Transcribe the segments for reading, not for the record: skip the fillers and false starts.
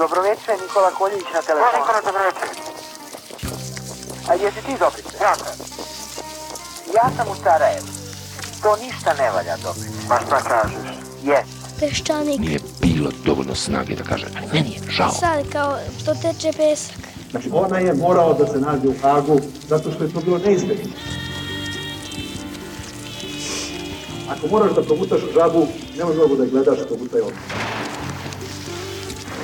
Dobroveče, Nikola Koljević na telefonu. Nikola, dobroveče. A jesi ti Dobrice? Ja. Ja sam u Sarajevu. To ništa ne valja, Dobrice. Pa šta kažeš? Jes. Peščanik. Nije bilo dovoljno snage da kaže, meni je žao. Sad kao što teče pesak. Znači ona je morao da se nađe u Hagu zato što je to bilo neizbježno. Ako moraš da progutaš žabu, nemoj mnogo da je gledaš, progutaj odmah.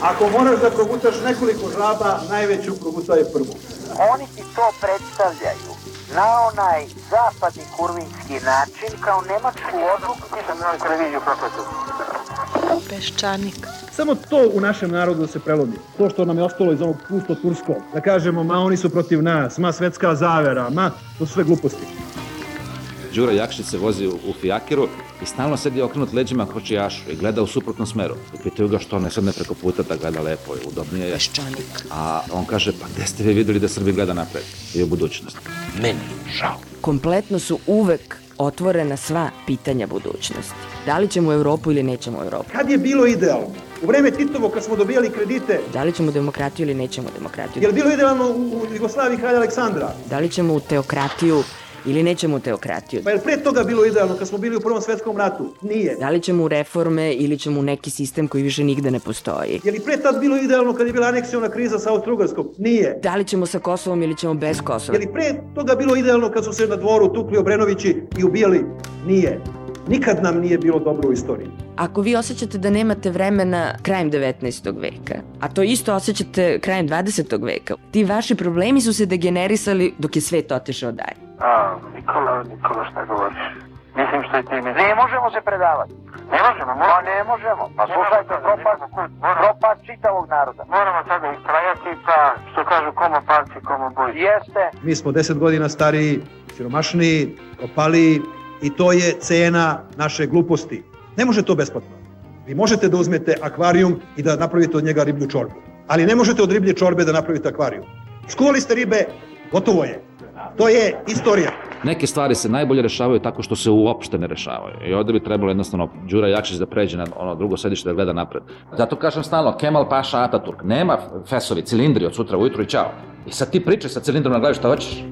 Ako moraš da progutaš nekoliko žaba, najveću progutaj prvu. Oni ti to predstavljaju na onaj zapadni kurvinski način kao nemačku odluku. Nisam na televiziju prokletu. Peščanik. Samo to u našem narodu se prelomi. To što nam je ostalo iz ovog pusto turskog. Da kažemo, ma oni su protiv nas, ma svetska zavera, ma to su sve gluposti. Đura Jakšić se vozi u fijakiru i stalno sedi okrenut leđima kočijašu i gleda u suprotnom smeru. I pitaju ga što ne sedne preko puta da gleda lepo i udobnije je. Peščanik. A on kaže, pa gde ste vi videli da Srbi gleda napred i u budućnost? Meni je žao. Kompletno su uvek otvorena sva pitanja budućnosti. Da li ćemo u Evropu ili nećemo u Evropu? Kad je bilo idealno? U vreme Titovo kad smo dobijali kredite. Da li ćemo demokratiju ili nećemo demokratiju? Je li bilo idealno u Jugoslaviji kralja Aleksandra? Da li ćemo u teokratiju ili nećemo u teokratiju? Pa je li pre toga bilo idealno kad smo bili u Prvom svetskom ratu? Nije. Da li ćemo u reforme ili ćemo u neki sistem koji više nigde ne postoji? Je li pre tad bilo idealno kad je bila aneksiona kriza sa Austro-Ugarskom? Nije. Da li ćemo sa Kosovom ili ćemo bez Kosova? Je li pre toga bilo idealno kad su se na dvoru tukli Obrenovići i ubijali? Nije. Nikad nam nije bilo dobro u istoriji. Ako vi osjećate da nemate vremena krajem 19. veka, a to isto osjećate krajem 20. veka, ti vaši problemi su se degenerisali dok je svet otišao dalje. Nikola, šta govoriš? Mislim što je ti mislim. Ne možemo se predavati. Ne možemo, Pa ne možemo. Pa slušajte, propad čitavog naroda. Moramo sada istrajati, pa što kažu komo parci, komo boj. Jeste. Mi smo 10 godina stariji, siromašniji, opaliji i to je cena naše gluposti. Ne može to besplatno. Vi možete da uzmete akvarijum i da napravite od njega riblju čorbu. Ali ne možete od riblje čorbe da napravite akvarijum. Skuvali ste ribe, gotovo je. To je istorija. Neke stvari se najbolje rešavaju tako što se uopšte ne rešavaju. I ovde bi trebalo jednostavno Đura Jakšić da pređe na ono drugo sedište da gleda napred. Zato kažem stalno, Kemal Paša Ataturk, nema fesovi, cilindri od sutra ujutru i čao. I sad ti pričaj sa cilindrom na glavi šta hoćeš.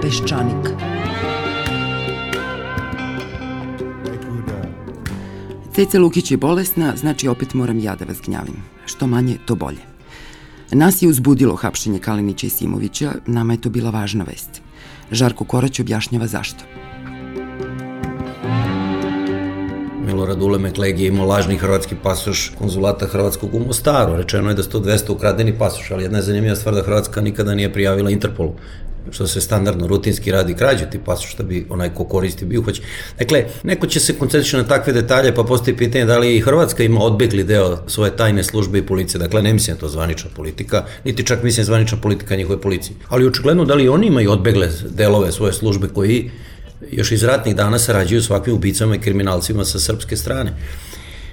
Peščanik. Ceca Lukić je bolesna, znači opet moram ja da vas gnjavim. Što manje, to bolje. Nas je uzbudilo hapšenje Kalinića i Simovića, nama je to bila važna vest. Žarko Korać objašnjava zašto. Milorad Ulemek Legi je imao lažni hrvatski pasoš konzulata hrvatskog u Mostaru. Rečeno je da 100-200 ukradeni pasoš, ali jedna je zanimljiva stvar da Hrvatska nikada nije prijavila Interpolu, što se standardno, rutinski radi krađu ti pasoš, da bi onaj ko koristi bio uhoćen. Dakle, neko će se koncentrišati na takve detalje, pa postoji pitanje da li i Hrvatska ima odbegli deo svoje tajne službe i policije. Dakle, ne mislim to zvanična politika, niti čak mislim zvanična politika njihove policije. Ali očigledno da li oni imaju odbegle delove svoje službe koji još iz ratnih dana sarađuju s ovakvim ubicama i kriminalcima sa srpske strane.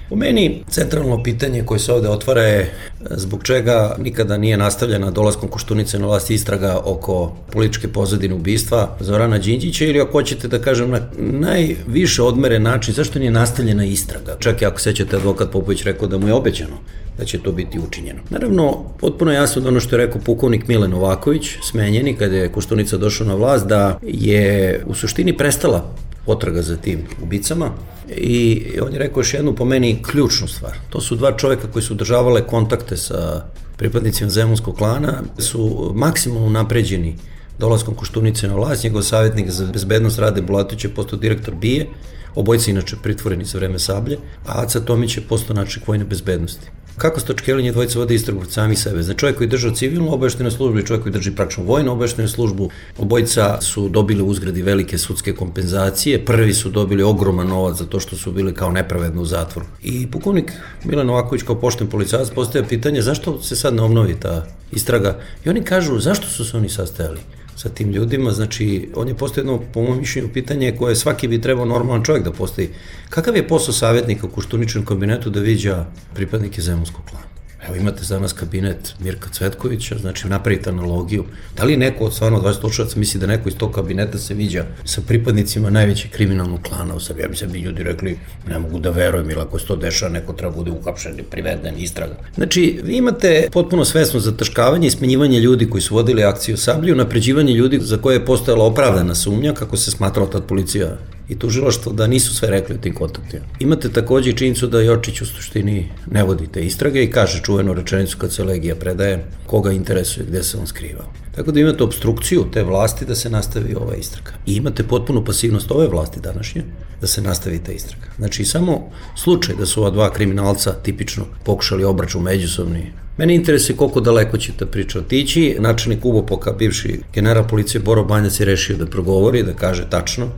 Po meni, centralno pitanje koje se ovde otvara je zbog čega nikada nije nastavljena dolaskom Koštunice na vlast istraga oko političke pozadine ubistva Zorana Đinđića ili ako hoćete da kažem na najviše odmeren način zašto nije nastavljena istraga. Čak i ako sećate, advokat Popović rekao da mu je obećano da će to biti učinjeno. Naravno, potpuno jasno da ono što je rekao pukovnik Mile Novaković, smenjeni kada je Koštunica došao na vlast, da je u suštini prestala potraga za tim ubicama i on je rekao još jednu po meni ključnu stvar. To su dva čoveka koji su održavale kontakte sa pripadnicima Zemunskog klana, su maksimalno napređeni dolaskom Koštunice na vlast. Njegov savjetnik za bezbednost Rade Bulatović je postao direktor BIA, obojica inače pritvoreni za vreme Sablje, a Aca Tomić je postao načelnik vojne bezbednosti. Kako Stočkelin je dvojica vode istragu od sami sebe? Znači čovjek koji držao civilnu obaveštenu službu i čovjek koji drži praktično vojnu obaveštenu službu, obojica su dobili u uzgradi velike sudske kompenzacije, prvi su dobili ogroman novac za to što su bili kao nepravedno u zatvoru. I pukovnik Milan Novaković kao pošten policajac postavlja pitanje zašto se sad ne obnovi ta istraga i oni kažu zašto su se oni sastajali sa tim ljudima, znači on je postavio jedno, po mojom mišljenju, pitanje koje svaki bi trebao normalan čovjek da postavi. Kakav je posao savjetnika u Koštuničinom kabinetu da viđa pripadnike Zemunskog klana? Evo imate za nas kabinet Mirka Cvetkovića, znači napravite analogiju. Da li neko od stvarno 20 slušalaca misli da neko iz tog kabineta se viđa sa pripadnicima najvećeg kriminalnog klana u Srbiji? Ja bi se bi ljudi rekli, ne mogu da verujem, ili ako se to dešava, neko treba bude uhapšen, priveden, istraga. Znači, vi imate potpuno svesno zataškavanje i smenjivanje ljudi koji su vodili akciju Sablju, napređivanje ljudi za koje je postojala opravdana sumnja, kako se smatrala tad policija i tužilaštvo, da nisu sve rekli u tim kontaktima. Imate takođe i činjenicu da Jočić u suštini ne vodi te istrage i kaže čuvenu rečenicu kad se Legija predaje, koga interesuje, gde se on skrivao. Tako da imate obstrukciju te vlasti da se nastavi ova istraga. I imate potpunu pasivnost ove vlasti današnje da se nastavi ta istraga. Znači, samo slučaj da su ova dva kriminalca tipično pokušali obračun međusobni. Mene interesuje koliko daleko će ta priča otići. Načelnik UBOPOK-a, bivši general policije Boro Banjac je rešio da progovori, da kaže tačno.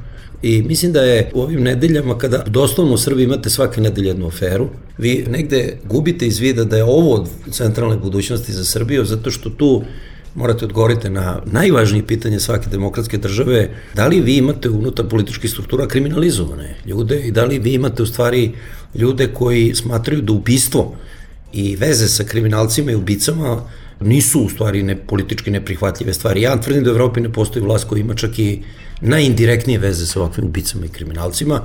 I mislim da je u ovim nedeljama, kada doslovno u Srbiji imate svake nedelje jednu aferu, vi negde gubite iz vida da je ovo od centralne budućnosti za Srbiju, zato što tu morate odgovoriti na najvažnije pitanje svake demokratske države, da li vi imate unutar političkih struktura kriminalizovane ljude i da li vi imate u stvari ljude koji smatraju da ubistvo i veze sa kriminalcima i ubicama nisu u stvari politički neprihvatljive stvari. Ja tvrdim da u Evropi ne postoji vlast koja ima čak i najindirektnije veze sa ovakvim ubicama i kriminalcima.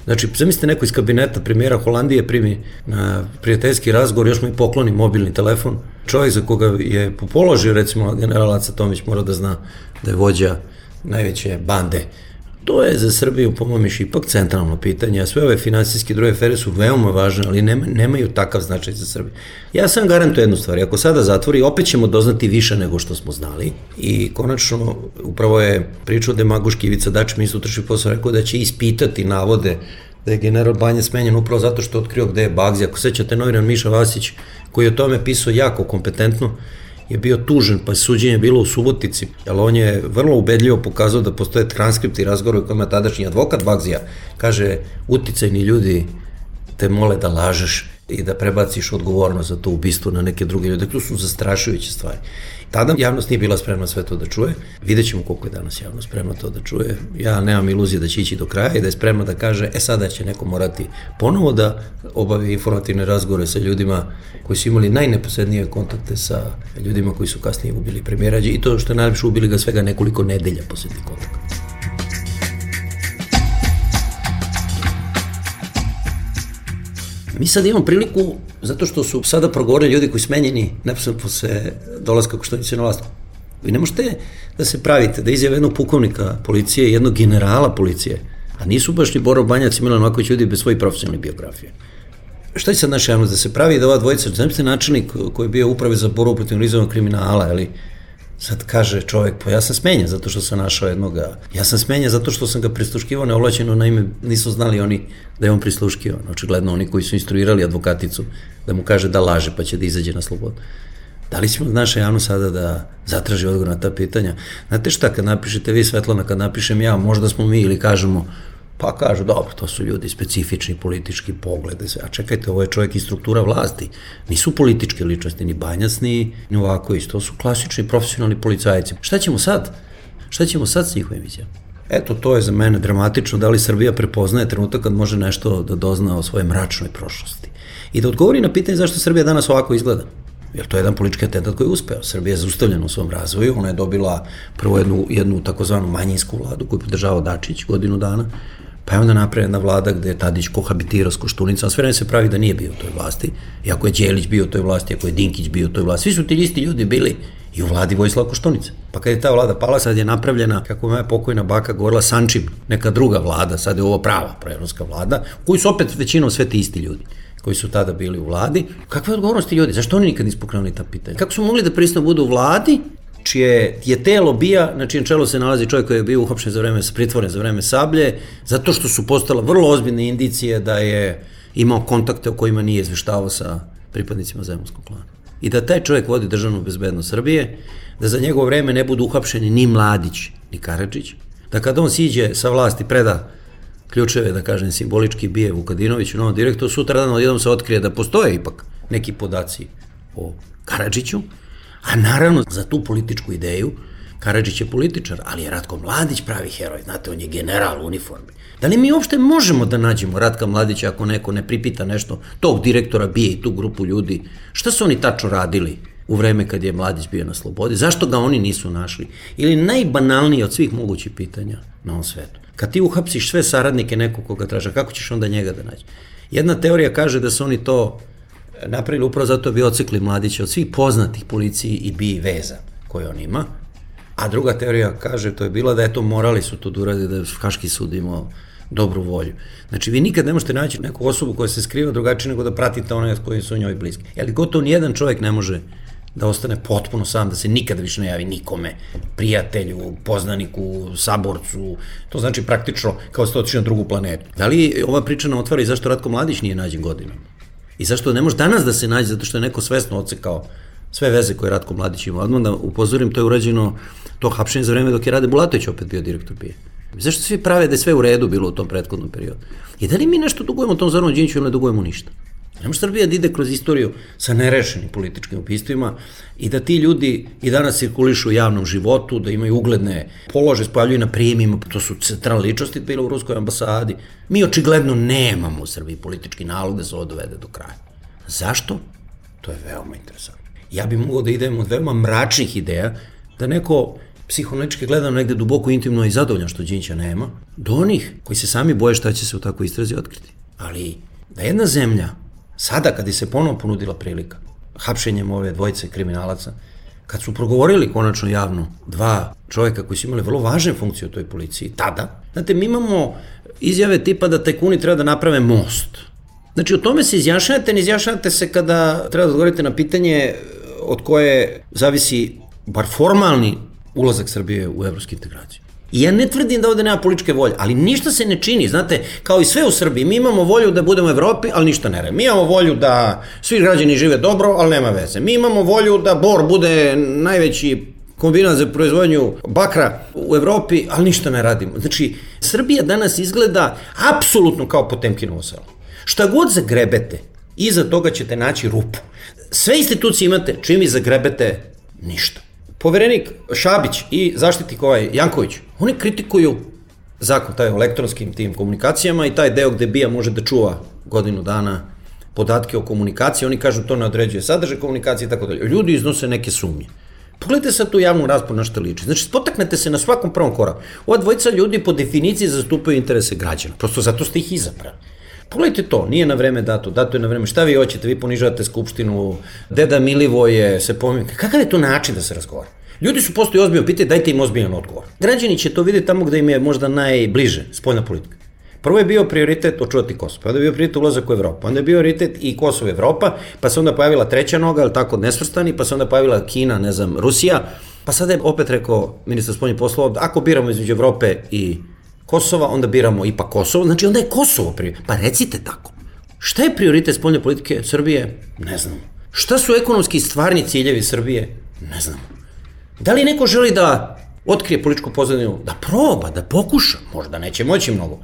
Znači, zamislite neko iz kabineta premijera Holandije primi na prijateljski razgovor, još mu i pokloni mobilni telefon. Čovjek za koga je po položaju, recimo general Aca Tomić, mora da zna da je vođa najveće bande. To je za Srbiju, po mojom mišljenju, ipak centralno pitanje, a sve ove finansijske druge afere su veoma važne, ali nemaju takav značaj za Srbiju. Ja sam garantujem jednu stvar, ako sada zatvori, opet ćemo doznati više nego što smo znali i konačno, upravo je pričao demagoški Ivica Dačić, ministar unutrašnjih poslova, rekao da će ispitati navode da je general Banjac smenjen upravo zato što je otkrio gde je Bagzi. Ako sećate, novinar Miša Vasić, koji je o tome pisao jako kompetentno, je bio tužen, pa suđenje je bilo u Subotici, ali on je vrlo ubedljivo pokazao da postoje transkripti razgovora u kojima tadašnji advokat Bagzija kaže, uticajni ljudi te mole da lažeš i da prebaciš odgovornost za to ubistvo na neke druge ljude. To su zastrašujuće stvari. Tada javnost nije bila spremna sve to da čuje. Vidjet ćemo koliko je danas javnost spremna to da čuje. Ja nemam iluzije da će ići do kraja i da je spremna da kaže, sada će neko morati ponovo da obavi informativne razgovore sa ljudima koji su imali najneposrednije kontakte sa ljudima koji su kasnije ubili premijera i to što je najlepše, ubili ga svega nekoliko nedelja posle tih kontakta. Mi sad imamo priliku, zato što su sada progovorili ljudi koji smenjeni neposredno posle dolaska Koštunice na vlast. Vi ne možete da se pravite, da izjave jednog pukovnika policije i jednog generala policije, a nisu baš ni Boro Banjac i Milan Marković ljudi bez svojih profesionalnih biografije. Šta će sad naša javnost da se pravi da ova dvojica, znate načelnik koji je bio upravi za borbu protiv organizovanog kriminala, ali sad kaže čovjek, pa ja sam smenjen zato što sam našao jednoga, ja sam smenjen zato što sam ga prisluškivao neovlaćeno, naime nisu znali oni da je on prisluškivan, očigledno oni koji su instruirali advokaticu da mu kaže da laže pa će da izađe na slobodu. Da li ćemo naša javnost sada da zatraži odgovor na ta pitanja? Znate šta, kad napišete vi, Svetlana, kad napišem ja, možda smo mi ili kažemo, pa kažu, dobro, to su ljudi specifični politički poglede, a čekajte, ovo je čovjek iz struktura vlasti, nisu političke ličnosti, ni Banjac, ni Novaković, to su klasični profesionalni policajci. Šta ćemo sad? Šta ćemo sad s njihovim vizijama? Eto, to je za mene dramatično, da li Srbija prepoznaje trenutak kad može nešto da dozna o svojoj mračnoj prošlosti. I da odgovori na pitanje zašto Srbija danas ovako izgleda. Jer to je jedan politički atentat koji je uspeo. Srbija je zaustavljena u svom razvoju, ona je dobila prvo jednu takozvanu manjinsku vladu koju podržavao Dačić godinu dana, pa je onda napravljena vlada gde je Tadić kohabitirao s Koštunicom, a sve vreme se pravi da nije bio u toj vlasti, iako je Đelić bio u toj vlasti, iako je Dinkić bio u toj vlasti, svi su ti isti ljudi bili i u vladi Vojislava Koštunice. Pa kad je ta vlada pala, sad je napravljena, kako moja pokojna baka govorila, Sančim, neka druga vlada, sad je ovo prava proevropska vlada, koji su opet većinom sve ti isti ljudi koji su tada bili u vladi. Kakve odgovornosti ljudi? Zašto oni nikad nisu pokrenuli ta pitanja? Kako su mogli da pristanu budu u vladi čije je telo bija, na čijem čelu se nalazi čovjek koji je bio uhapšen za vreme, pritvoren za vreme Sablje, zato što su postala vrlo ozbiljne indicije da je imao kontakte o kojima nije izveštavao sa pripadnicima Zemunskog klana. I da taj čovjek vodi državnu bezbednost Srbije, da za njegovo vreme ne budu uhapšeni ni Mladić, ni Karadžić, da kad on siđe sa vlasti, preda ključeve, da kažem, simbolički bije Vukadinoviću, novom direktoru, sutradan odjednom se otkrije da postoje ipak neki podaci o Karadžiću, a naravno za tu političku ideju Karadžić je političar, ali je Ratko Mladić pravi heroj, znate, on je general u uniformi. Da li mi uopšte možemo da nađemo Ratka Mladića ako neko ne pripita nešto, tog direktora bije i tu grupu ljudi? Šta su oni tačno radili u vreme kad je Mladić bio na slobodi? Zašto ga oni nisu našli? Ili najbanalnije od svih mogućih pitanja na ovom svetu. Kad ti uhapsiš sve saradnike nekog koga traža, kako ćeš onda njega da nađi? Jedna teorija kaže da su oni to napravili upravo zato bi ocikli Mladića od svih poznatih policiji i BI veza koje on ima. A druga teorija kaže, to je bila da morali su to da urade, da je Haški sud imao dobru volju. Znači, vi nikad ne možete naći neku osobu koja se skriva drugačije nego da pratite one koji su njoj bliski. Ali gotovo nijedan čovjek ne može da ostane potpuno sam, da se nikada više ne javi nikome, prijatelju, poznaniku, saborcu, to znači praktično kao da ste otišli na drugu planetu. Da li ova priča nam otvara i zašto Ratko Mladić nije nađen godinama? I zašto ne može danas da se nađe, zato što je neko svesno odsekao sve veze koje Ratko Mladić ima. Odmah da upozorim, to je urađeno to hapšenje za vreme dok je Rade Bulatović opet bio direktor BIA. Zašto svi prave da je sve u redu bilo u tom prethodnom periodu? I da li mi nešto dugujemo tom Zoranu Đinđiću ili ne dugujemo ništa? Ne može Srbija da ide kroz istoriju sa nerešenim političkim ubistvima i da ti ljudi i danas cirkulišu u javnom životu, da imaju ugledne polože, spojavljuju na prijemima, to su centralne ličnosti bilo u Ruskoj ambasadi. Mi očigledno nemamo u Srbiji politički nalog da se ovo dovede do kraja. Zašto? To je veoma interesantno. Ja bih mogao da idem od veoma mračnih ideja, da neko psihoanalitički gledano negde duboko intimno i zadovoljan što Đinđića nema, do onih koji se sami boje šta će se u takvoj istrazi otkriti. Ali da jedna zemlja, sada kad je se ponovo ponudila prilika, hapšenjem ove dvojice kriminalaca, kad su progovorili konačno javno dva čovjeka koji su imali vrlo važne funkcije u toj policiji, tada, znate, mi imamo izjave tipa da tajkuni treba da naprave most. Znači, o tome se izjašnjavate, ne izjašnjavate se kada treba da odgovorite na pitanje od koje zavisi bar formalni ulazak Srbije u evropske integracije. I ja ne tvrdim da ovde nema političke volje, ali ništa se ne čini, znate, kao i sve u Srbiji, mi imamo volju da budemo u Evropi, ali ništa ne radi. Mi imamo volju da svi građani žive dobro, ali nema veze. Mi imamo volju da Bor bude najveći kombinat za proizvodnju bakra u Evropi, ali ništa ne radimo. Znači, Srbija danas izgleda apsolutno kao Potemkinovo selo. Šta god zagrebete, iza toga ćete naći rupu. Sve institucije imate, čim i zagrebete, ništa. Poverenik Šabić i zaštitnik Janković, oni kritikuju zakon taj o elektronskim tim komunikacijama i taj deo gde BIA može da čuva godinu dana podatke o komunikaciji, oni kažu to ne određuje sadržaj komunikacije i tako dalje. Ljudi iznose neke sumnje. Pogledajte sad tu javnu raspravu na što liči. Znači, spotaknete se na svakom prvom koraku. Ova dvojica ljudi po definiciji zastupaju interese građana. Prosto zato ste ih izabrali. Pogledajte to, nije na vreme dato je na vreme. Šta vi hoćete, vi ponižavate Skupštinu, deda Milivoje se pominje. Kakav je to način da se razgovara? Ljudi su postoji ozbiljno pitanje, dajte im ozbiljan odgovor. Građani će to vidjeti tamo gde im je možda najbliže spoljna politika. Prvo je bio prioritet očuvati Kosovo, pa onda je bio prioritet ulazak u Evropu, onda je bio prioritet i Kosovo i Evropa, pa se onda pojavila treća noga, ali tako nesvrstani, pa se onda pojavila Kina, ne znam, Rusija, pa sada je opet rekao ministar spoljnih poslova, ako biramo između Evrope i Kosova, onda biramo ipak Kosovo, znači onda je Kosovo prioritet. Pa recite tako. Šta je prioritet spoljne politike Srbije? Ne znam. Šta su ekonomski stvarni ciljevi Srbije? Ne znam. Da li neko želi da otkrije političku pozadinu, da proba, da pokuša? Možda neće moći mnogo.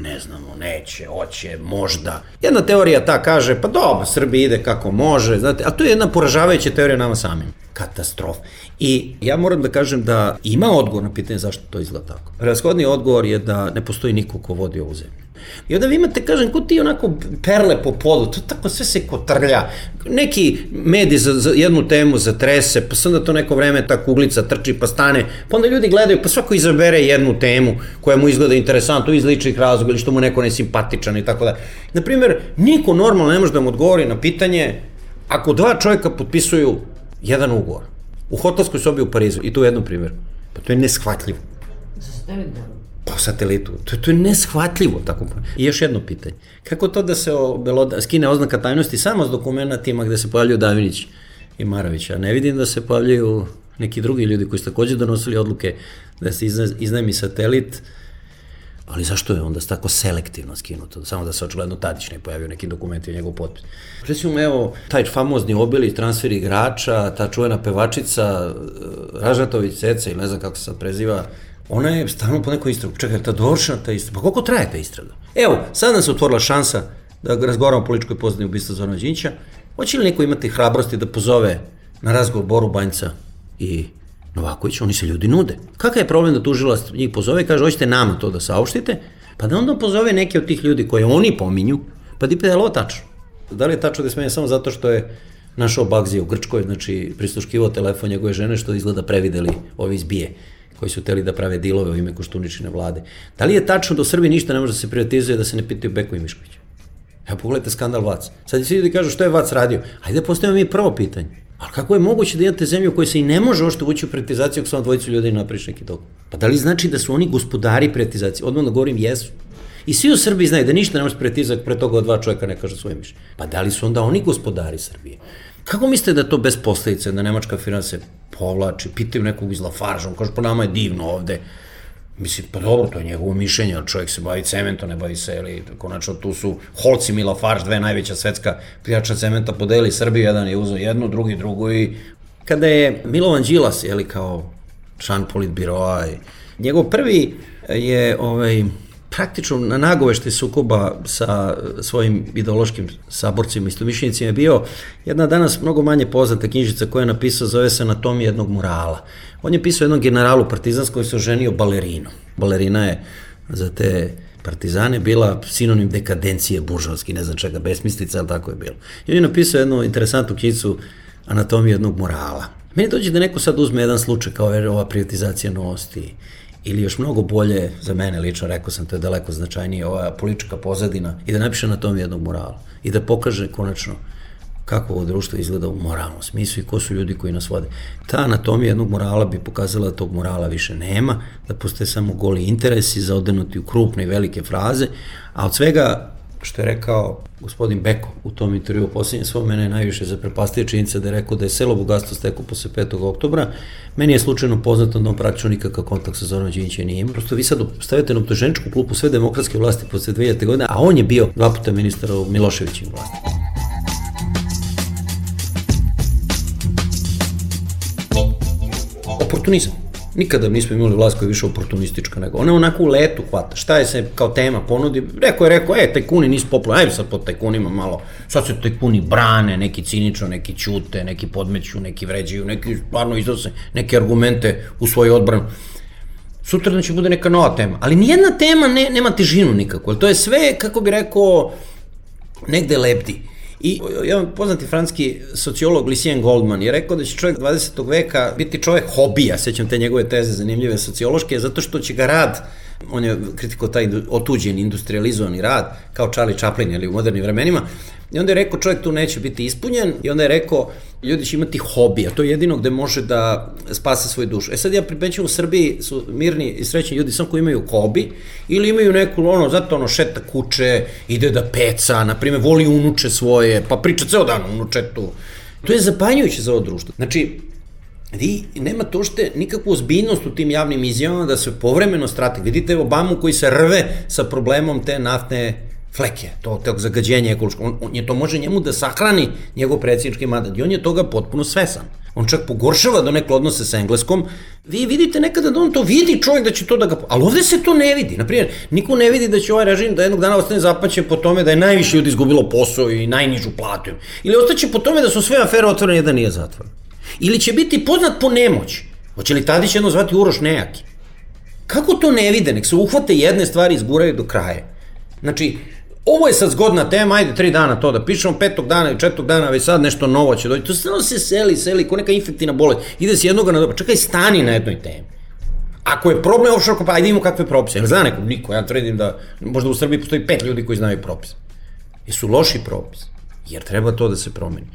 Ne znamo, neće, hoće, možda. Jedna teorija ta kaže, pa dobro, Srbija ide kako može, znate, a to je jedna poražavajuća teorija nama samim. Katastrofa. I ja moram da kažem da ima odgovor na pitanje zašto to izgleda tako. Prevashodni odgovor je da ne postoji niko ko vodi ovu zemlju. I onda vi imate, kažem, ko ti onako perle po podu, to tako sve se kotrlja. Neki medij za jednu temu zatrese, pa se onda to neko vreme ta kuglica trči pa stane, pa onda ljudi gledaju, pa svako izabere jednu temu koja mu izgleda interesantno iz ličnih razloga ili što mu neko nesimpatičan i tako da. Naprimjer, niko normalno ne može da mu odgovori na pitanje ako dva čovjeka potpisuju jedan ugovor u hotelskoj sobi u Parizu, i to u jednom primjeru, pa to je neshvatljivo. Po satelitu. To je neshvatljivo. Tako. I još jedno pitanje. Kako to da se skine oznaka tajnosti samo s dokumentima gde se pojavljuju Davinić i Marović? A ne vidim da se pojavljuju neki drugi ljudi koji su takođe donosili odluke da se iznajmi satelit, ali zašto je onda tako selektivno skinuto? Samo da se očigledno Tadić ne pojavio neki dokumenti u njegov potpis. Recimo, evo, taj famozni Obili transfer igrača, ta čuvena pevačica Ražnatović Ceca, ili ne znam kako se sad preziva, ona je stalno po nekoj istragu. Čekaj, ta dovršena ta istraga. Pa koliko traje ta istraga? Evo, sad nam se otvorila šansa da razgovaramo o političkoj pozadini ubistva Zorana Đinđića. Hoće li neko imati hrabrosti da pozove na razgovor Boru Banjca i Novaković, oni se ljudi nude. Kakav je problem da tužilac njih pozove i kaže, hoćete nama to da saopštite, pa da onda pozove neke od tih ljudi koje oni pominju, pa da je ovo tačno. Da li je tačno da je smenjen samo zato što je našao Bagzija u Grčkoj, znači prisluškivao telefon njegove žene, što izgleda prevideli ovi iz BIA, koji su hteli da prave dilove u ime Koštuničine vlade. Da li je tačno da u Srbiji ništa ne može da se privatizuje, da se ne pitaju Beko i Mišković? Evo, pogledajte skandal Vac. Sad svi ljudi kažu što je Vac radio. Hajde da postavimo mi prvo pitanje. Ali kako je moguće da imate zemlju u kojoj se i ne može ošto ući u privatizaciju ako samo dvojicu ljudi napraviš neki dog? Pa da li znači da su oni gospodari privatizacije? Odmah da govorim, jesu. I svi u Srbiji znaju da ništa ne može privatizati pre toga od dva čovjeka ne kaže svoje mišljenje. Pa da li su onda oni gospodari Srbije? Kako mislite da to bez posledice, da nemačka firma se povlači, pitaju nekog iz Lafarge, on kaže, pa nama je divno ovde. Mislim, pa dobro, to je njegovo mišljenje, čovjek se bavi cementom, ne bavi se, ili konačno tu su Holcim i Lafarge, dve najveća svetska pljača cementa, podeli Srbiju, jedan je uzeo jednu, drugu i kada je Milovan Đilas, kao član politbiroa, njegov prvi je praktično na nagovešti sukoba sa svojim ideološkim saborcima, istomišljenicima je bio jedna danas mnogo manje poznata knjižica koja je napisao, zove se Anatomija jednog morala. On je pisao jednom generalu partizanskom koji se oženio balerinom. Balerina je za te partizane bila sinonim dekadencije buržovski, ne znam čega, besmislica, ali tako je bilo. I on je napisao jednu interesantnu knjižicu Anatomija jednog morala. Meni dođe da neko sad uzme jedan slučaj kao ova privatizacija Novosti, ili još mnogo bolje, za mene lično, rekao sam, to je daleko značajnije, ova politička pozadina, i da napiše Anatomiju jednog morala i da pokaže konačno kako ovo društvo izgleda u moralnom smislu i ko su ljudi koji nas vode. Ta anatomija jednog morala bi pokazala da tog morala više nema, da postoje samo goli interesi zaodenuti u krupne i velike fraze, a od svega što je rekao gospodin Beko u tom intervju u posljednjem svom, mene je najviše zaprepastio činjenica da je rekao da je selo bogatstvo stekao posle 5. oktobra. Meni je slučajno poznato da on praktično nikakav kontakt sa Zoranom Đinđićem nije imao. Prosto vi sad stavite na optuženičku klupu sve demokratske vlasti posle 2000. godine, a on je bio 2 puta ministar u Miloševićim vlasti. Oportunizam. Nikada nismo imali vlast koja je više oportunistička nego. Ona onako u letu hvata. Šta je se kao tema ponudi? Rekao, tajkuni nisu popularni, ajde sad pod tajkunima malo. Sad se tajkuni brane, neki cinično, neki ćute, neki podmeću, neki vređaju, neki stvarno iznose neke argumente u svoju odbranu. Sutra će bude neka nova tema. Ali nijedna tema nema težinu nikako. To je sve, kako bi rekao, negde lebdi. I jedan poznati francuski sociolog Lucien Goldman je rekao da će čovjek 20. veka biti čovjek hobija, sećam te njegove teze zanimljive sociološke, zato što će ga rad, on je kritikao taj otuđen, industrializovani rad, kao Charlie Chaplin ili u modernim vremenima, i onda je rekao čovjek tu neće biti ispunjen i onda je rekao ljudi će imati hobija, to je jedino gde može da spase svoju dušu. Sad ja primećujem u Srbiji su mirni i srećni ljudi samo koji imaju hobi ili imaju neku, zato šeta kuće, ide da peca, na primjer voli unuče svoje, pa priča ceo dan o unučetu. To je zapanjujuće za ovo društvo. Znači, vi nemate uopšte nikakvu ozbiljnost u tim javnim izjavama da se povremeno strate. Vidite Obamu koji se rve sa problemom te naftne fleke, tog zagađenja ekološkog. To može njemu da sahrani njegov predsjednički mandat i on je toga potpuno svesan. On čak pogoršava donekle odnose sa Engleskom. Vi vidite nekada da on to vidi čovjek da će to da ga... Ali ovde se to ne vidi. Naprimjer, niko ne vidi da će ovaj režim da jednog dana ostane zapaćen po tome da je najviše ljudi izgubilo posao i najnižu platu. Ili ostaće po tome da su sve afere otvorene, jedan nije zatvoren. Ili će biti poznat po nemoći. Hoće li Tadić jedno zvati Uroš Nejaki? Kako to ne vide? Nek se uhvate jedne stvari i izguraju do kraja. Znači, ovo je sad zgodna tema, ajde 3 dana to da pišemo, 5. dana i 4. dana već sad nešto novo će doći. To stvarno se seli, ko neka infektivna bolest. Ide se jednoga na dobro. Čekaj, stani na jednoj temi. Ako je problem offshore, pa ajde imamo kakve propise. Ili zna nekog? Niko. Ja tvrdim da možda u Srbiji postoji 5 ljudi koji znaju propise. Jesu loši propis. Jer treba to da se promeni.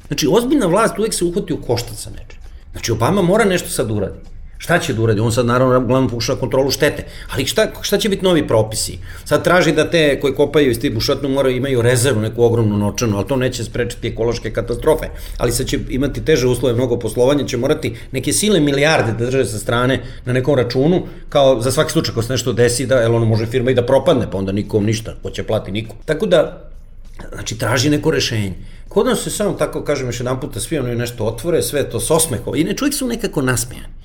Znači, ozbiljna vlast uvek se uhvati u koštac sa nečim. Znači, Obama mora nešto sad uradi. Šta će da uradi? On sad naravno glavno pokušava kontrolu štete. Ali šta će biti novi propisi? Sad traži da te koji kopaju iz tih bušotinu imaju rezervu, neku ogromnu novčanu, ali to neće sprečiti ekološke katastrofe. Ali sad će imati teže uslove, mnogo poslovanja, će morati neke silne milijarde da drže sa strane na nekom računu, kao za svaki slučaj ako se nešto desi, jer ono može firma i da propadne, pa onda nikom ništa, ko će plati nikom. Tako da, znači, traži neko rešenje. Kod nas se samo tako, kažem još jedan puta, svi oni nešto otvore, sve to s osmehom, i ne čovjek su nekako nasmejani.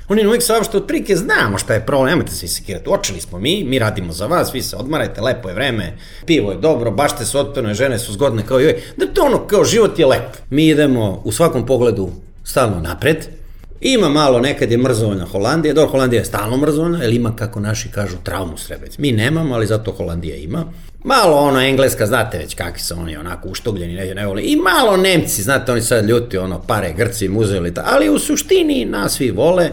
Oni uvijek saopšte otprilike, znamo šta je problem, nemojte se sekirati, očeli smo mi radimo za vas, vi se odmarajte, lepo je vreme, pivo je dobro, bašte su otpevne, žene su zgodne kao i uvijek, da to kao život je lep. Mi idemo u svakom pogledu stalno napred, Ima malo, nekad je mrzovoljna Holandija, dobro, Holandija je stalno mrzovoljna, jer ima, kako naši kažu, traumu Srebrenice. Mi nemamo, ali zato Holandija ima. Malo ono Engleska, znate već kakvi su oni onako uštogljeni, ne vole. I malo Nemci, znate, oni sad ljuti, ono, pare, Grci im uzeli, ali u suštini nas svi vole.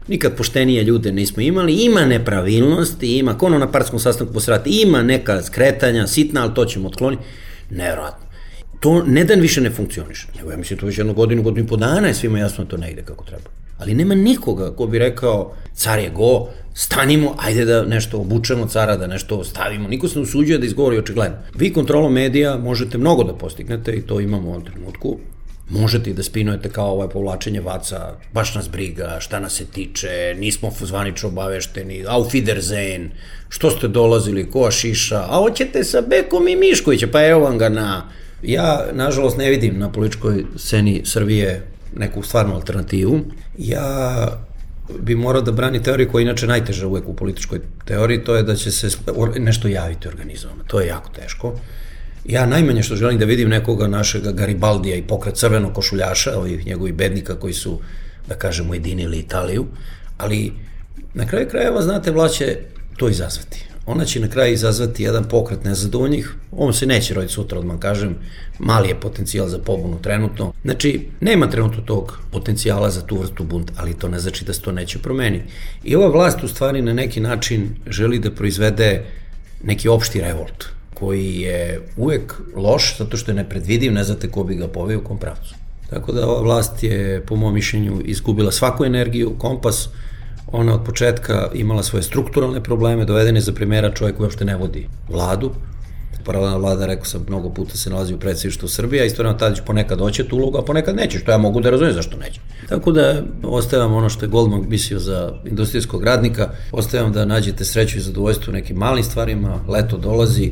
Nikad poštenije ljude nismo imali, ima nepravilnosti, ima, ono na partijskom sastanku posrati, ima neka skretanja, sitna, ali to ćemo otkloniti. Nevjerojatno. To ne dan više ne funkcioniše. Nego ja mislim to već jednu godinu i po dana je svima jasno to ne ide kako treba. Ali nema nikoga ko bi rekao, car je go, stanimo, ajde da nešto obučemo cara, da nešto stavimo. Niko se ne usuđuje da izgovori očigledno. Vi kontrolom medija možete mnogo da postignete i to imamo u ovom trenutku. Možete i da spinujete kao ovo povlačenje vaca, baš nas briga, šta nas se tiče, nismo zvanično obavešteni, auf Wiedersehen, što ste dolazili, ko šiša, a hoćete sa Bekom i Miškovića, pa evo vam ga na... Ja, nažalost, ne vidim na političkoj sceni Srbije neku stvarnu alternativu. Ja bi morao da brani teoriju koja je inače najteža uvek u političkoj teoriji, to je da će se nešto javiti organizovano. To je jako teško. Ja najmanje što želim da vidim nekoga našega Garibaldija i pokret crvenog košuljaša, ovih njegovih bednika koji su, da kažemo, ujedinili Italiju, ali na kraju krajeva, znate, vlast će to izazvati. Ona će na kraju izazvati jedan pokret nezadovoljnih, on se neće roditi sutra, odmah kažem, mali je potencijal za pobunu trenutno. Znači, nema trenutno tog potencijala za tu vrstu bunta, ali to ne znači da se to neće promeniti. I ova vlast u stvari na neki način želi da proizvede neki opšti revolt, koji je uvek loš, zato što je nepredvidiv, ne znate ko bi ga poveo u kom pravcu. Tako da ova vlast je, po mom mišljenju, izgubila svaku energiju, kompas. Ona od početka imala svoje strukturalne probleme, doveden je za primjera čovjek koji uopšte ne vodi vladu. Paralelna vlada, rekao sam, mnogo puta se nalazi u predsjedništvu Srbije, a istovremeno Tadić ponekad hoće tu ulogu, a ponekad neće, što ja mogu da razumijem zašto neće. Tako da ostavljam ono što je Goldman mislio za industrijskog radnika, ostavljam da nađete sreću i zadovoljstvo u nekim malim stvarima, leto dolazi,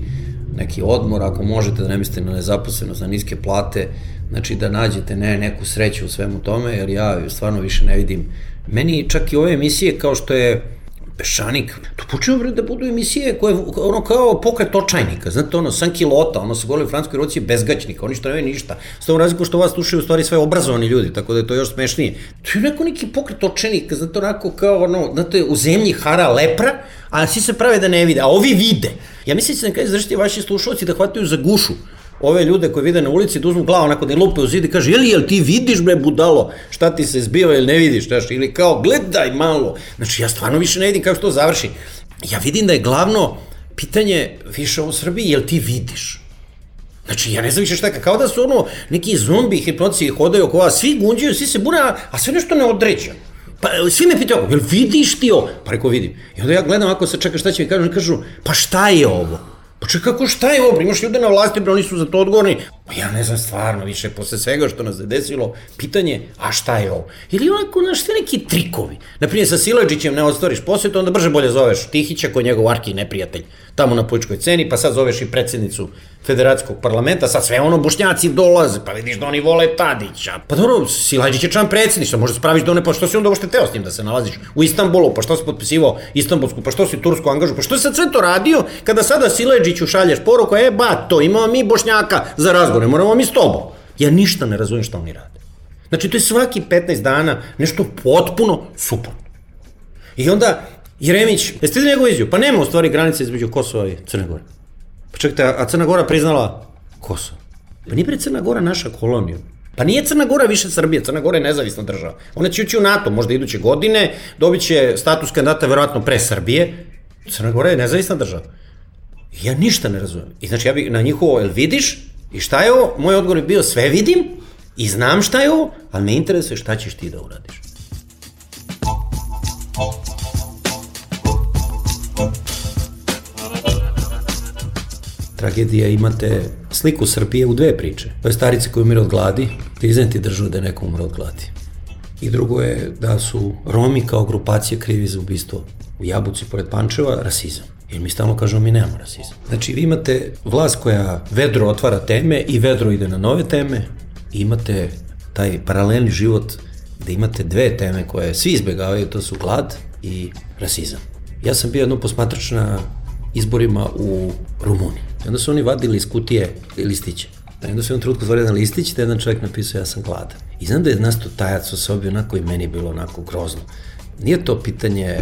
neki odmor, ako možete da ne mislite na nezaposlenost, na niske plate, znači da nađete neku sreću u svemu tome, jer ja stvarno više ne vidim. Meni čak i ove emisije kao što je Peščanik, to počinju da budu emisije koje ono kao pokret očajnika, znate ono, sankilota, ono se govori u francuskoj Ruci bezgaćnika, oni što nemaju ništa, s tom razliku što vas slušaju u stvari sve obrazovani ljudi, tako da je to još smešnije. To je neki pokret očajnika, znate onako kao ono, znate u zemlji hara lepra, a svi se prave da ne vide, a ovi vide. Ja mislim da će na kraju završiti vaši slušalci da hvataju za gušu ove ljude koji vide na ulici, da uzmu glavu onako da je lupe u zid i kaže, jel ti vidiš bre budalo šta ti se zbiva ili ne vidiš, ili kao gledaj malo. Znači ja stvarno više ne vidim kako to završi. Ja vidim da je glavno pitanje više u Srbiji, jel ti vidiš? Znači ja ne znam više šta, kao da su ono neki zombi, hipnotici hodaju oko vas, svi gunđuju, svi se bune, a sve nešto neodređeno. Pa svi me pitaju, jel vidiš ti ovo? Pa reko vidim. I onda ja gledam ako se čeka šta će mi kažu, pa šta je ovo? Pa čekaj, kako šta je ovo? Imaš ljude na vlasti, oni su za to odgovorni. Pa ja ne znam stvarno više, posle svega što nas je desilo, pitanje, a šta je ovo? Ili onako, znaš, sve neki trikovi. Naprimjer, sa Silajdžićem ne ostvariš posjetu, onda brže bolje zoveš Tihića, koji je njegov arki neprijatelj, tamo na političkoj ceni, pa sad zoveš i predsjednicu Federacijskog parlamenta, sad sve ono Bošnjaci dolaze, pa vidiš da oni vole Tadića. Pa dobro, Silajdžić je član predsjedništva, možda spraviš da one, pa što si onda uopšte teo s njim da se nalaziš u Istanbulu, pa što si potpisivao Istanbulsku, pa što si Tursku angažu, pa što si sad sve to radio kada sada Silajdžiću šalješ poruku, bato, imamo mi Bošnjaka za razgovor, ne moramo mi s tobom. Ja ništa ne razumijem šta oni rade. Znači, to je svaki 15 dana nešto potpuno suprotno. I onda, Jeremić, jeste li njegovu izjavu? Pa nema u stvari granice između Kosova i Crne Gore. Pa čekajte, a Crna Gora priznala Kosovo. Pa nije pre Crna Gora naša kolonija. Pa nije Crna Gora više Srbije, Crna Gora je nezavisna država. Ona će ući u NATO, možda iduće godine, dobit će status kandidata verovatno pre Srbije. Crna Gora je nezavisna država. Ja ništa ne razumijem. I znači, ja bih na njihovo, jel vidiš? I šta je ovo? Moj odgovor je bio sve vidim i znam šta je ovo, ali me interesuje šta ćeš ti da uradiš. Tragedija, imate sliku Srbije u dve priče. To je starice koji umire od gladi, priznajem ti državu da je neko umre od gladi. I drugo je da su Romi kao grupacija krivi za ubistvo u Jabuci pored Pančeva, rasizam. Jer mi stalno kažemo mi nemamo rasizam. Znači vi imate vlast koja vedro otvara teme i vedro ide na nove teme i imate taj paralelni život gde imate dve teme koje svi izbjegavaju, to su glad i rasizam. Ja sam bio jednom posmatrač na izborima u Rumuniji. I onda su oni vadili iz kutije listiće. I onda su jednom trutku zvali jedan listić, da jedan čovjek napisao ja sam gladan. I znam da je nasto tajac u sobi onako i meni bilo onako grozno. Nije to pitanje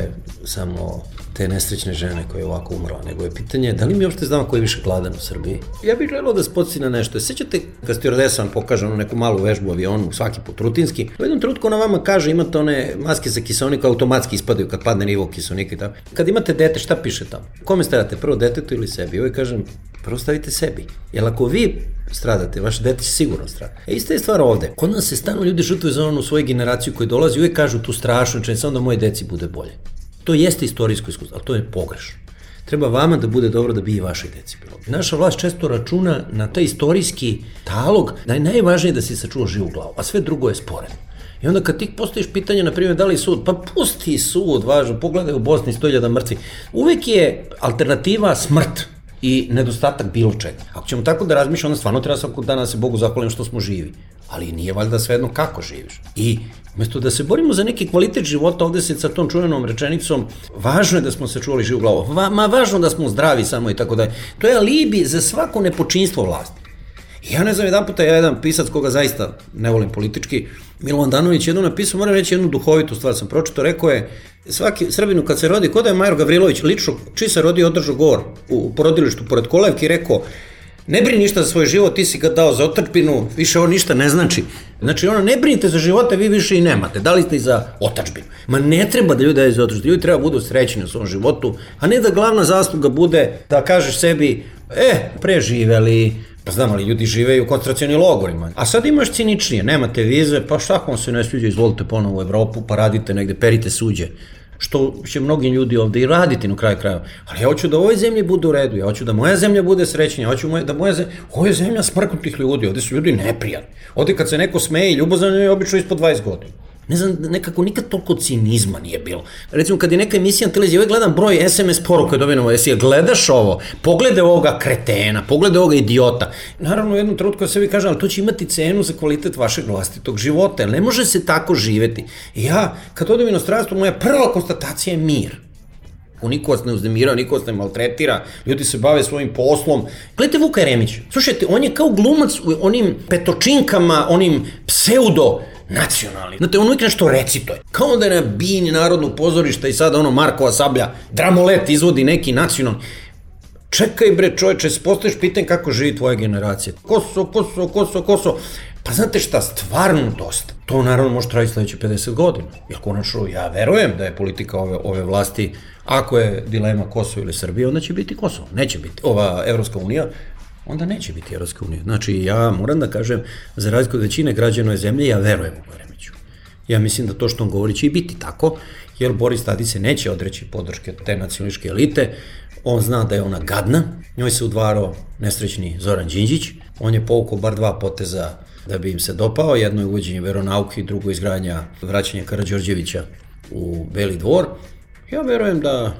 samo te nesrećne žene koja je ovako umrla, nego je pitanje da li mi uopšte znamo ko je više gladan u Srbiji. Ja bih želeo da se podsjeti na nešto. Sećate kad stewardesa vam pokaže neku malu vežbu u avionu, svaki put rutinski, u jednom trenutku ona vama kaže imate one maske za kiseonik, automatski ispadaju kad padne nivo kiseonika i tako. Kad imate dete, šta piše tamo? Kome stavljate, prvo detetu ili sebi? Ovo kažem, prvo stavite sebi. Jer ako vi stradate, vaše dete će sigurno stradati. Ista je stvar ovde. Kod nas se stalno ljudi žrtvuju za onu svoju generaciju koji dolazi i uvijek kažu tu strašno, čini samo da moje deci bude bolje. To jeste istorijsko iskustvo, ali to je pogrešno. Treba vama da bude dobro da bi i vašoj deci bilo. Naša vlast često računa na taj istorijski talog da je najvažnije da si sačuva živu glavu, a sve drugo je sporedno. I onda kad ti postaviš pitanje, na primjer, da li sud, pa pusti sud, važno, pogledaj u Bosni 100.000 mrtvih. Uvek je alternativa smrt i nedostatak bilo čega. Ako ćemo tako da razmišljamo, onda stvarno treba svakog dana se Bogu zahvalim što smo živi. Ali nije valjda svejedno kako živiš. I umesto da se borimo za neki kvalitet života, ovde se sa tom čuvenom rečenicom, važno je da smo sačuvali živu glavu, važno da smo zdravi samo i tako da je. To je alibi za svako nepočinstvo vlasti. Ja ne znam, jedan pisac koga zaista ne volim politički, Milovan Danović jednom napisao, moram reći jednu duhovitu stvar sam pročito, rekao je, svaki Srbinu kad se rodi, kod je Major Gavrilović, lično, čiji se rodi održao govor u porodilištu pored Kolevki, rekao, ne brini ništa za svoj život, ti si ga dao za otadžbinu, više ovo ništa ne znači. Znači, ne brinite za živote, vi više i nemate, dali ste i za otadžbinu. Ma ne treba da ljudi daju za otadžbinu, ljudi treba budu srećni u svom životu, a ne da glavna zasluga bude da kažeš sebi, preživeli, pa znam, ali ljudi žive i u koncentracionim logorima. A sad imaš ciničnije, nemate vize, pa šta vam se ne sviđa, izvolite ponovo u Evropu, pa radite negde, perite suđe. Što će mnogi ljudi ovde i raditi na kraju krajeva. Ali ja hoću da u ovoj zemlji bude u redu, ja hoću da moja zemlja bude srećnija, ja hoću da moja zemlja... Ovo je zemlja smrknutih ljudi, ovde su ljudi neprijatni. Ovde kad se neko smeje i ljubazan je obično ispod 20 godina. Ne znam, nekako nikad toliko cinizma nije bilo. Recimo, kad je neka emisija na televiziji, uvijek gledam broj SMS poruka dobijeno, jesi gledaš ovo, pogledaj ovoga kretena, pogledaj ovoga idiota. Naravno, u jednom trenutku se vi kaže, ali to će imati cenu za kvalitet vašeg vlastitog života, jer ne može se tako živeti. I ja, kad odem u inostranstvo, moja prva konstatacija je mir. Niko vas ne uznemirao, niko vas ne maltretira, ljudi se bave svojim poslom. Gledajte Vuka Jeremića, slušajte, on je kao glumac u onim petočinkama, onim pseudo nacionalni. Znate, on uvijek nešto recituje. Kao da je na bini Narodnog pozorišta i sada Markova sablja, Dramolet izvodi neki nacionalni. Čekaj bre čoveče, se postaviš pitanje kako živi tvoja generacija. Kosovo. Pa znate šta, stvarno dosta. To naravno može trajiti sledeće 50 godina. Jer konačno ja verujem da je politika ove vlasti, ako je dilema Kosovo ili Srbija, onda će biti Kosovo. Neće biti ova Evropska unija, onda neće biti Evropska unija. Znači, ja moram da kažem, za razliku od većine građana ove zemlje, ja verujem u Jeremiću. Ja mislim da to što on govori će i biti tako, jer Boris Tadić se neće odreći podrške te nacionalističke elite, on zna da je ona gadna, njoj se udvarao nesrećni Zoran Đinđić, on je povukao bar 2 poteza da bi im se dopao, jedno je uvođenje veronauke i drugo izgradnja vraćanja Karađorđevića u Beli dvor. Ja verujem da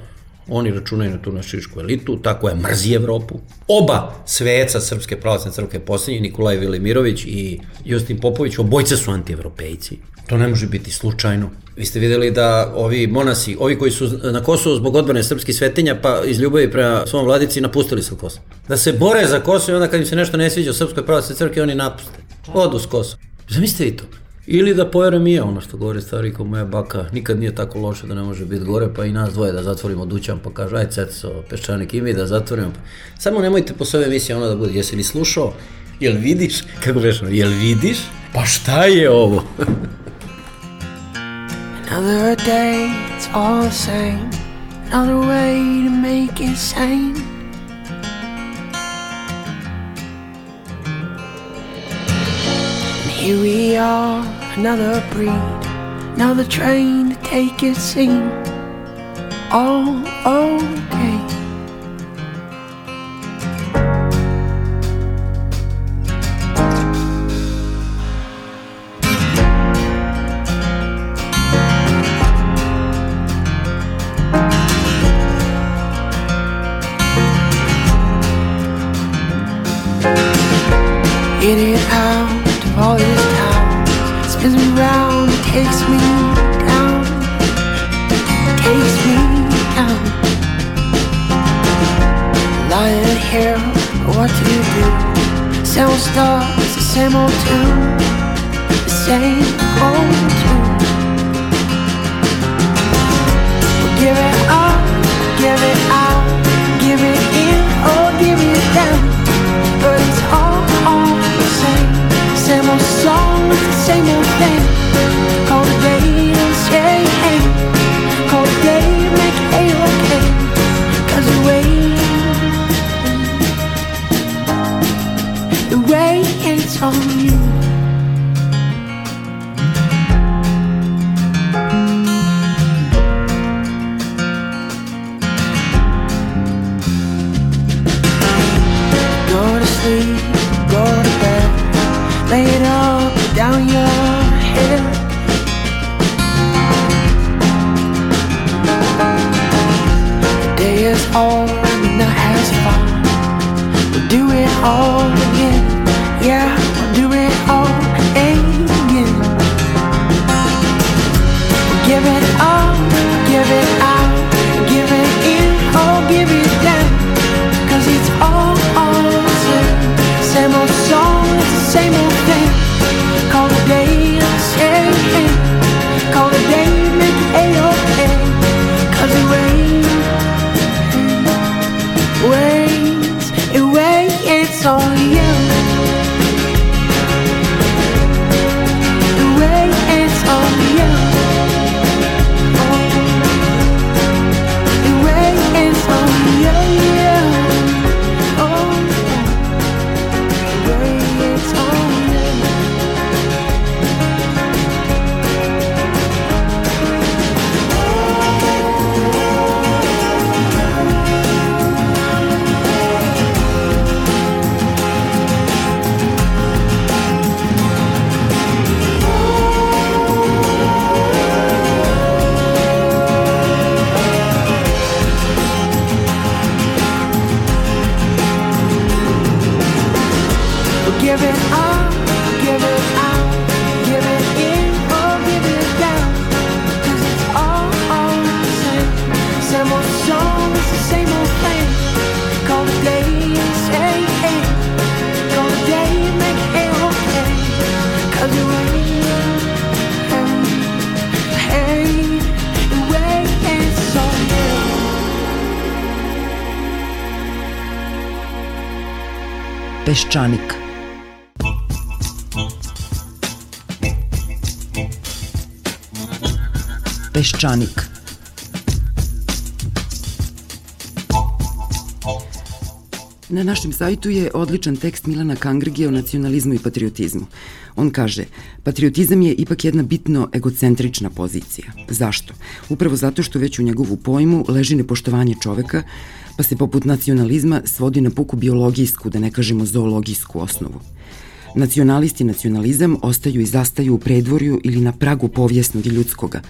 oni računaju na tu nacionalističku elitu, tako je mrzi Evropu. Oba sveca Srpske pravoslavne crkve posljednji, Nikolaj Velimirović i Justin Popović, obojica su antievropejci. To ne može biti slučajno. Vi ste videli da ovi monasi, ovi koji su na Kosovu zbog odbrane srpskih svetinja, pa iz ljubavi prema svom vladici napustili su Kosovo. Da se bore za Kosovo i onda kad im se nešto ne sviđa u Srpskoj pravoslavnoj crkvi, oni napuste. Odu s Kosova. Zamislite vi to. Ili da poverujem i ja, ono što govori stari kao moja baka, nikad nije tako loše da ne može biti gore, pa i nas dvoje da zatvorimo dućan, pa kaže, aj ceco, Peščanik i mi da zatvorimo. Samo nemojte posle ove emisije ono da bude, jesi li slušao, jel vidiš, kako vešno, jel vidiš, pa šta je ovo? Another day, it's all the same, another way to make it sane. Here we are, another breed, another train to take its scene. All okay. In and out of all these towns, spins me round, takes me down, takes me down. old stars, the same old tune, the same old tune. We'll give it up, give it out, give it in or give it down, but it's all the same old song with the same old thing. Call the day and say hey, call the day and make it A-okay, 'cause the way it's on you. Go to sleep, go to bed, lay it up down your head. The day is over and the night has fallen. We'll do it all again. Yeah, we'll do it all again. We'll give it up, give it out, give it in or give it down, 'cause it's all the same. Same old song, it's the same old thing. Call the day and say hey, call the day, make it A-okay, 'cause it waits on you. Peščanik. Peščanik. Na našem sajtu je odličan tekst Milana Kangrige o nacionalizmu i patriotizmu. On kaže, patriotizam je ipak jedna bitno egocentrična pozicija. Zašto? Upravo zato što već u njegovu pojmu leži nepoštovanje čoveka, pa se poput nacionalizma svodi na puku biologijsku, da ne kažemo zoologijsku osnovu. Nacionalist i nacionalizam ostaju i zastaju u predvorju ili na pragu povijesnog i ljudskoga,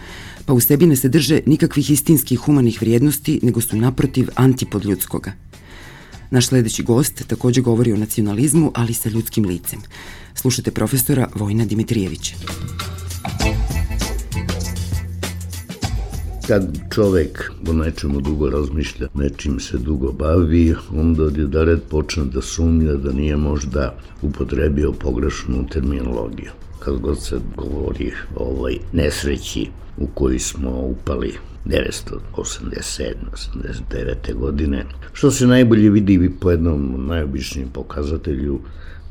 pa u sebi ne sadrže nikakvih istinskih humanih vrijednosti, nego su naprotiv antipod ljudskoga. Naš sledeći gost takođe govori o nacionalizmu, ali sa ljudskim licem. Slušajte profesora Vojina Dimitrijevića. Kad čovek o nečemu dugo razmišlja, nečim se dugo bavi, onda odjedared počne da sumnja da nije možda upotrebio pogrešnu terminologiju. Kad god se govori o ovoj nesreći u koju smo upali 1987. 89. godine, što se najbolje vidi po jednom najobičnijem pokazatelju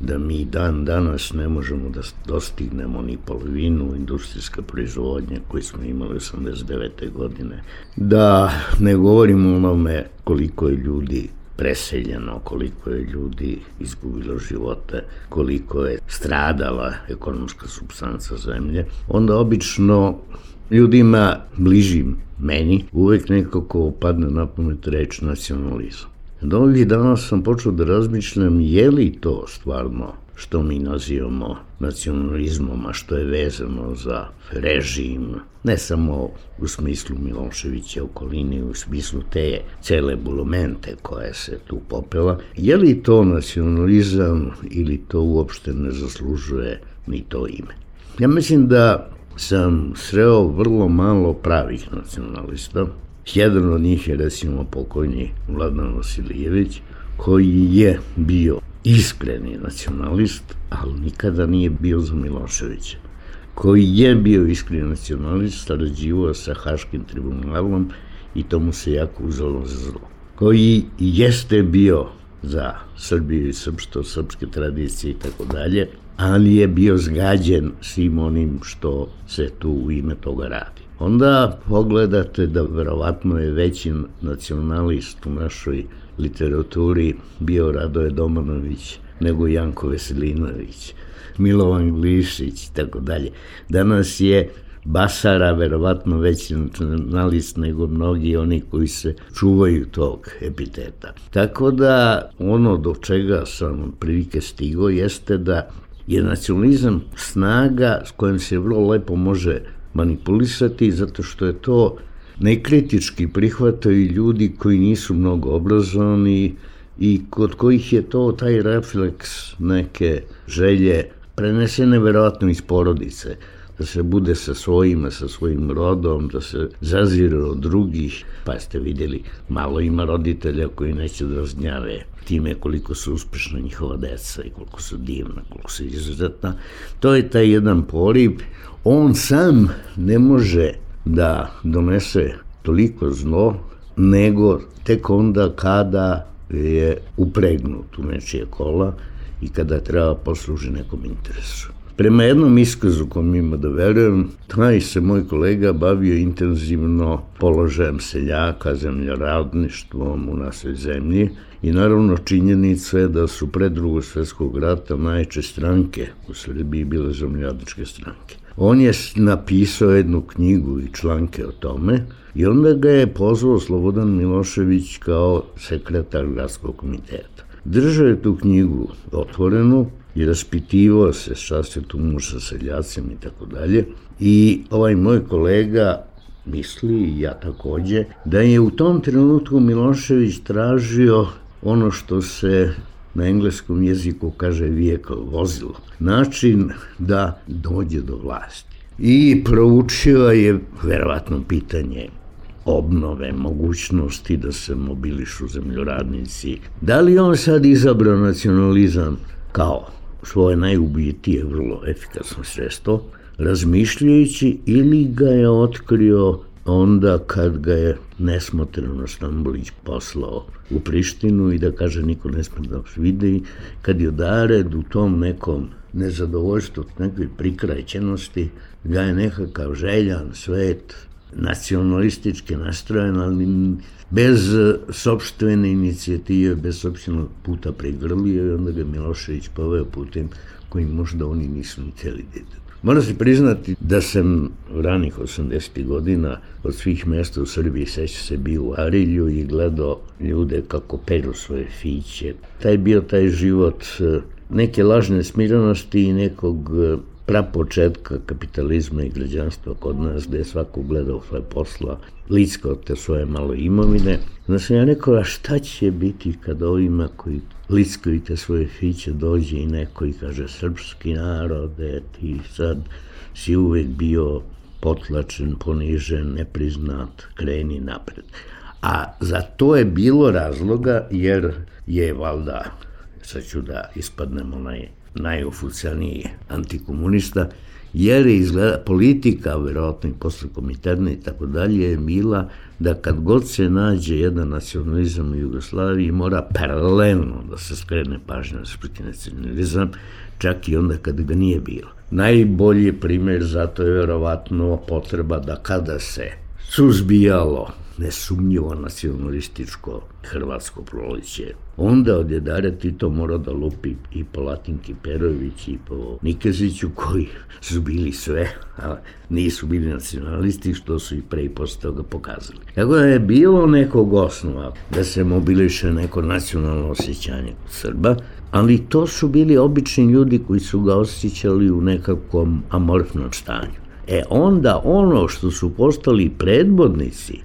da mi dan danas ne možemo da dostignemo ni polovinu industrijske proizvodnje koju smo imali 89. godine. Da ne govorimo o onome koliko je ljudi preseljeno, koliko je ljudi izgubilo živote, koliko je stradala ekonomska supstanca zemlje, onda obično ljudima bližim meni uvek nekako padne na pamet reč nacionalizam. Od ovih dana sam počeo da razmišljam je li to stvarno što mi nazivamo nacionalizmom, a što je vezano za režim, ne samo u smislu Miloševića okolini, u smislu te cele bulumente koja se tu popela. Je li to nacionalizam ili to uopšte ne zaslužuje ni to ime? Ja mislim da sam sreo vrlo malo pravih nacionalista. Jedan od njih je recimo pokojni Vladan Vasilijević, koji je bio iskreni nacionalist, ali nikada nije bio za Miloševića, koji je bio iskreni nacionalist, sarađivao sa Haškim tribunalom i to mu se jako uzelo za zlo. Koji jeste bio za Srbiju i srpstvo, srpske tradicije i tako dalje, ali je bio zgađen svim onim što se tu u ime toga radi. Onda pogledate da verovatno je veći nacionalist u našoj literaturi bio Radoje Domanović nego Janko Veselinović, Milovan Glišić i tako dalje. Danas je Basara verovatno veći nacionalist nego mnogi oni koji se čuvaju tog epiteta. Tako da ono do čega sam prilike stigao jeste da je nacionalizam snaga s kojom se vrlo lepo može manipulisati, zato što je to nekritički prihvataju ljudi koji nisu mnogo obrazovani i kod kojih je to taj refleks neke želje prenesene verovatno iz porodice, da se bude sa svojima, sa svojim rodom, da se zazire od drugih. Pa ste vidjeli, malo ima roditelja koji neće da razgnjave time koliko su uspešna njihova deca i koliko su divna, koliko su izuzetna. To je taj jedan poriv. On sam ne može da donese toliko zlo, nego tek onda kada je upregnut u nečije kola i kada treba posluži nekom interesu. Prema jednom iskazu kom ima da verujem, taj se moj kolega bavio intenzivno položajem seljaka, zemljoradništvom u našoj zemlji i naravno činjenica je da su pre Drugog svjetskog rata najjače stranke u Srbiji bile zemljoradničke stranke. On je napisao jednu knjigu i članke o tome i onda ga je pozvao Slobodan Milošević kao sekretar gradskog komiteta. Držao je tu knjigu otvorenu i raspitivao se šta se tu može sa seljacima i tako dalje. I ovaj moj kolega misli, i ja takođe, da je u tom trenutku Milošević tražio ono što se na engleskom jeziku kaže vehicle, vozilo, način da dođe do vlasti. I proučio je verovatno pitanje obnove, mogućnosti da se mobilišu zemljoradnici. Da li on sad izabrao nacionalizam kao svoje najubitije, vrlo efikasno sredstvo, razmišljajući, ili ga je otkrio onda kad ga je nesmotreno Stambolić poslao u Prištinu i da kaže niko ne sme da vidi, kad je Dared u tom nekom nezadovoljstvu, nekoj prikraćenosti, ga je nekakav željan svet, nacionalistički nastrojen, ali bez sopstvene inicijative, bez sopstvenog puta prigrlio i onda ga Milošević poveo putem koji možda oni nisu ni htjeli da idu. Moram se priznati da sam ranih 80. godina od svih mjesta u Srbiji, seća se, bio u Arilju i gledao ljude kako peru svoje fiće. Taj život neke lažne smirenosti i nekog prapočetka kapitalizma i građanstva kod nas, gde je svako gledao svoje posla, lickao te svoje malo imovine. Onda sam ja rekao, a šta će biti kad ovima koji lickaju te svoje fiće dođe i neko i kaže, srpski narode, ti sad si uvek bio potlačen, ponižen, nepriznat, kreni napred. A za to je bilo razloga, jer je valjda, sad ću da ispadnem najoficijalniji antikomunista, jer je izgleda politika, verovatno i posle komiterne i tako dalje, je bila da kad god se nađe jedan nacionalizam u Jugoslaviji, mora paralelno da se skrene pažnja na srpski nacionalizam, čak i onda kad ga nije bilo. Najbolji primjer zato je verovatno potreba da kada se suzbijalo nesumnjivo nacionalističko hrvatsko proleće, onda od Jedara Tito mora da lupi i po Latinki Perović i po Nikeziću, koji su bili sve, a nisu bili nacionalisti, što su i pre i posle toga pokazali. Tako da je bilo nekog osnova da se mobiliše neko nacionalno osjećanje kod Srba, ali to su bili obični ljudi koji su ga osjećali u nekakvom amorfnom stanju. Onda ono što su postali predvodnici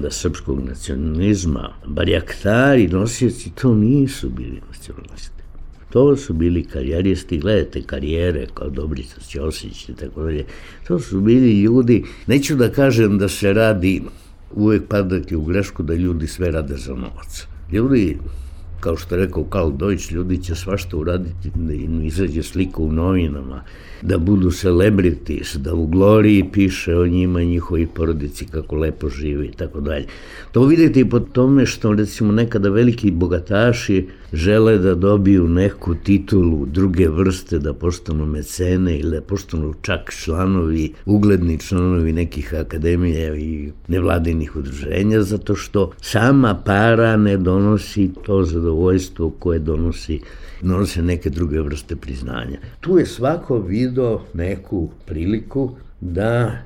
srpskog nacionalizma, barjaktari, nosioci, to nisu bili nacionalisti. To su bili karijeristi, gledajte karijere kao Dobrica Ćosić i tako dalje. To su bili ljudi, neću da kažem da se radi, uvek padati u grešku da ljudi sve rade za novac. Ljudi kao što je rekao Karl Deutsch, ljudi će svašta uraditi da im izađe slika u novinama, da budu celebrities, da u Gloriji piše o njima i njihovi porodici kako lepo žive i tako dalje. To vidite i po tome što recimo nekada veliki bogataši žele da dobiju neku titulu druge vrste, da postanu mecene ili da postanu čak članovi, ugledni članovi nekih akademija i nevladinih udruženja, zato što sama para ne donosi to zadovoljstvo koje donose neke druge vrste priznanja. Tu je svako video neku priliku da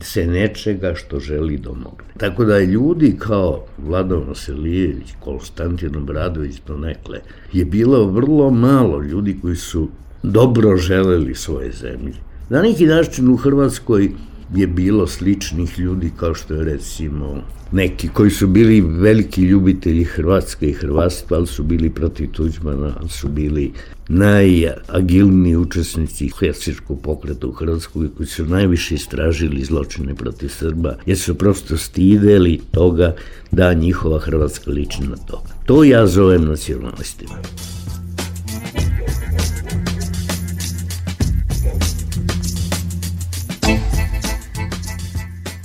se nečega što želi domogne. Tako da ljudi kao Vlado Vasilijević, Konstantin Obradović donekle, je bilo vrlo malo ljudi koji su dobro želeli svoje zemlje. Na neki način u Hrvatskoj je bilo sličnih ljudi kao što je recimo neki koji su bili veliki ljubitelji Hrvatske i hrvatstva, ali su bili protiv Tuđmana, ali su bili najagilniji učesnici helsinškog pokreta u Hrvatskoj koji su najviše istražili zločine protiv Srba, jer su prosto stideli toga da njihova Hrvatska liči na to. To ja zovem nacionalistima.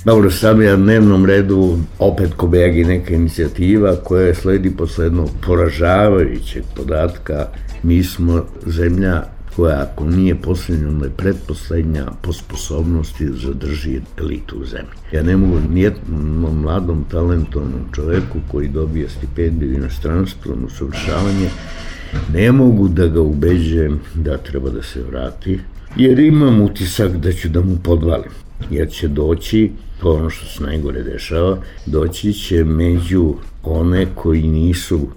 Dobro, sam je na dnevnom redu opet Kobajagi neka inicijativa koja sledi posle jednog poražavajućeg podatka. Mi smo zemlja koja, ako nije poslednja, onda je pretposlednja po sposobnosti da zadrži elitu u zemlji. Ja ne mogu nijednom mladom, talentovnom čoveku koji dobije stipendiju inostranstvo, usavršavanje, ne mogu da ga ubeđujem da treba da se vrati, jer imam utisak da ću da mu podvalim. Jer će doći, to ono što se najgore dešava, doći će među one koji nisu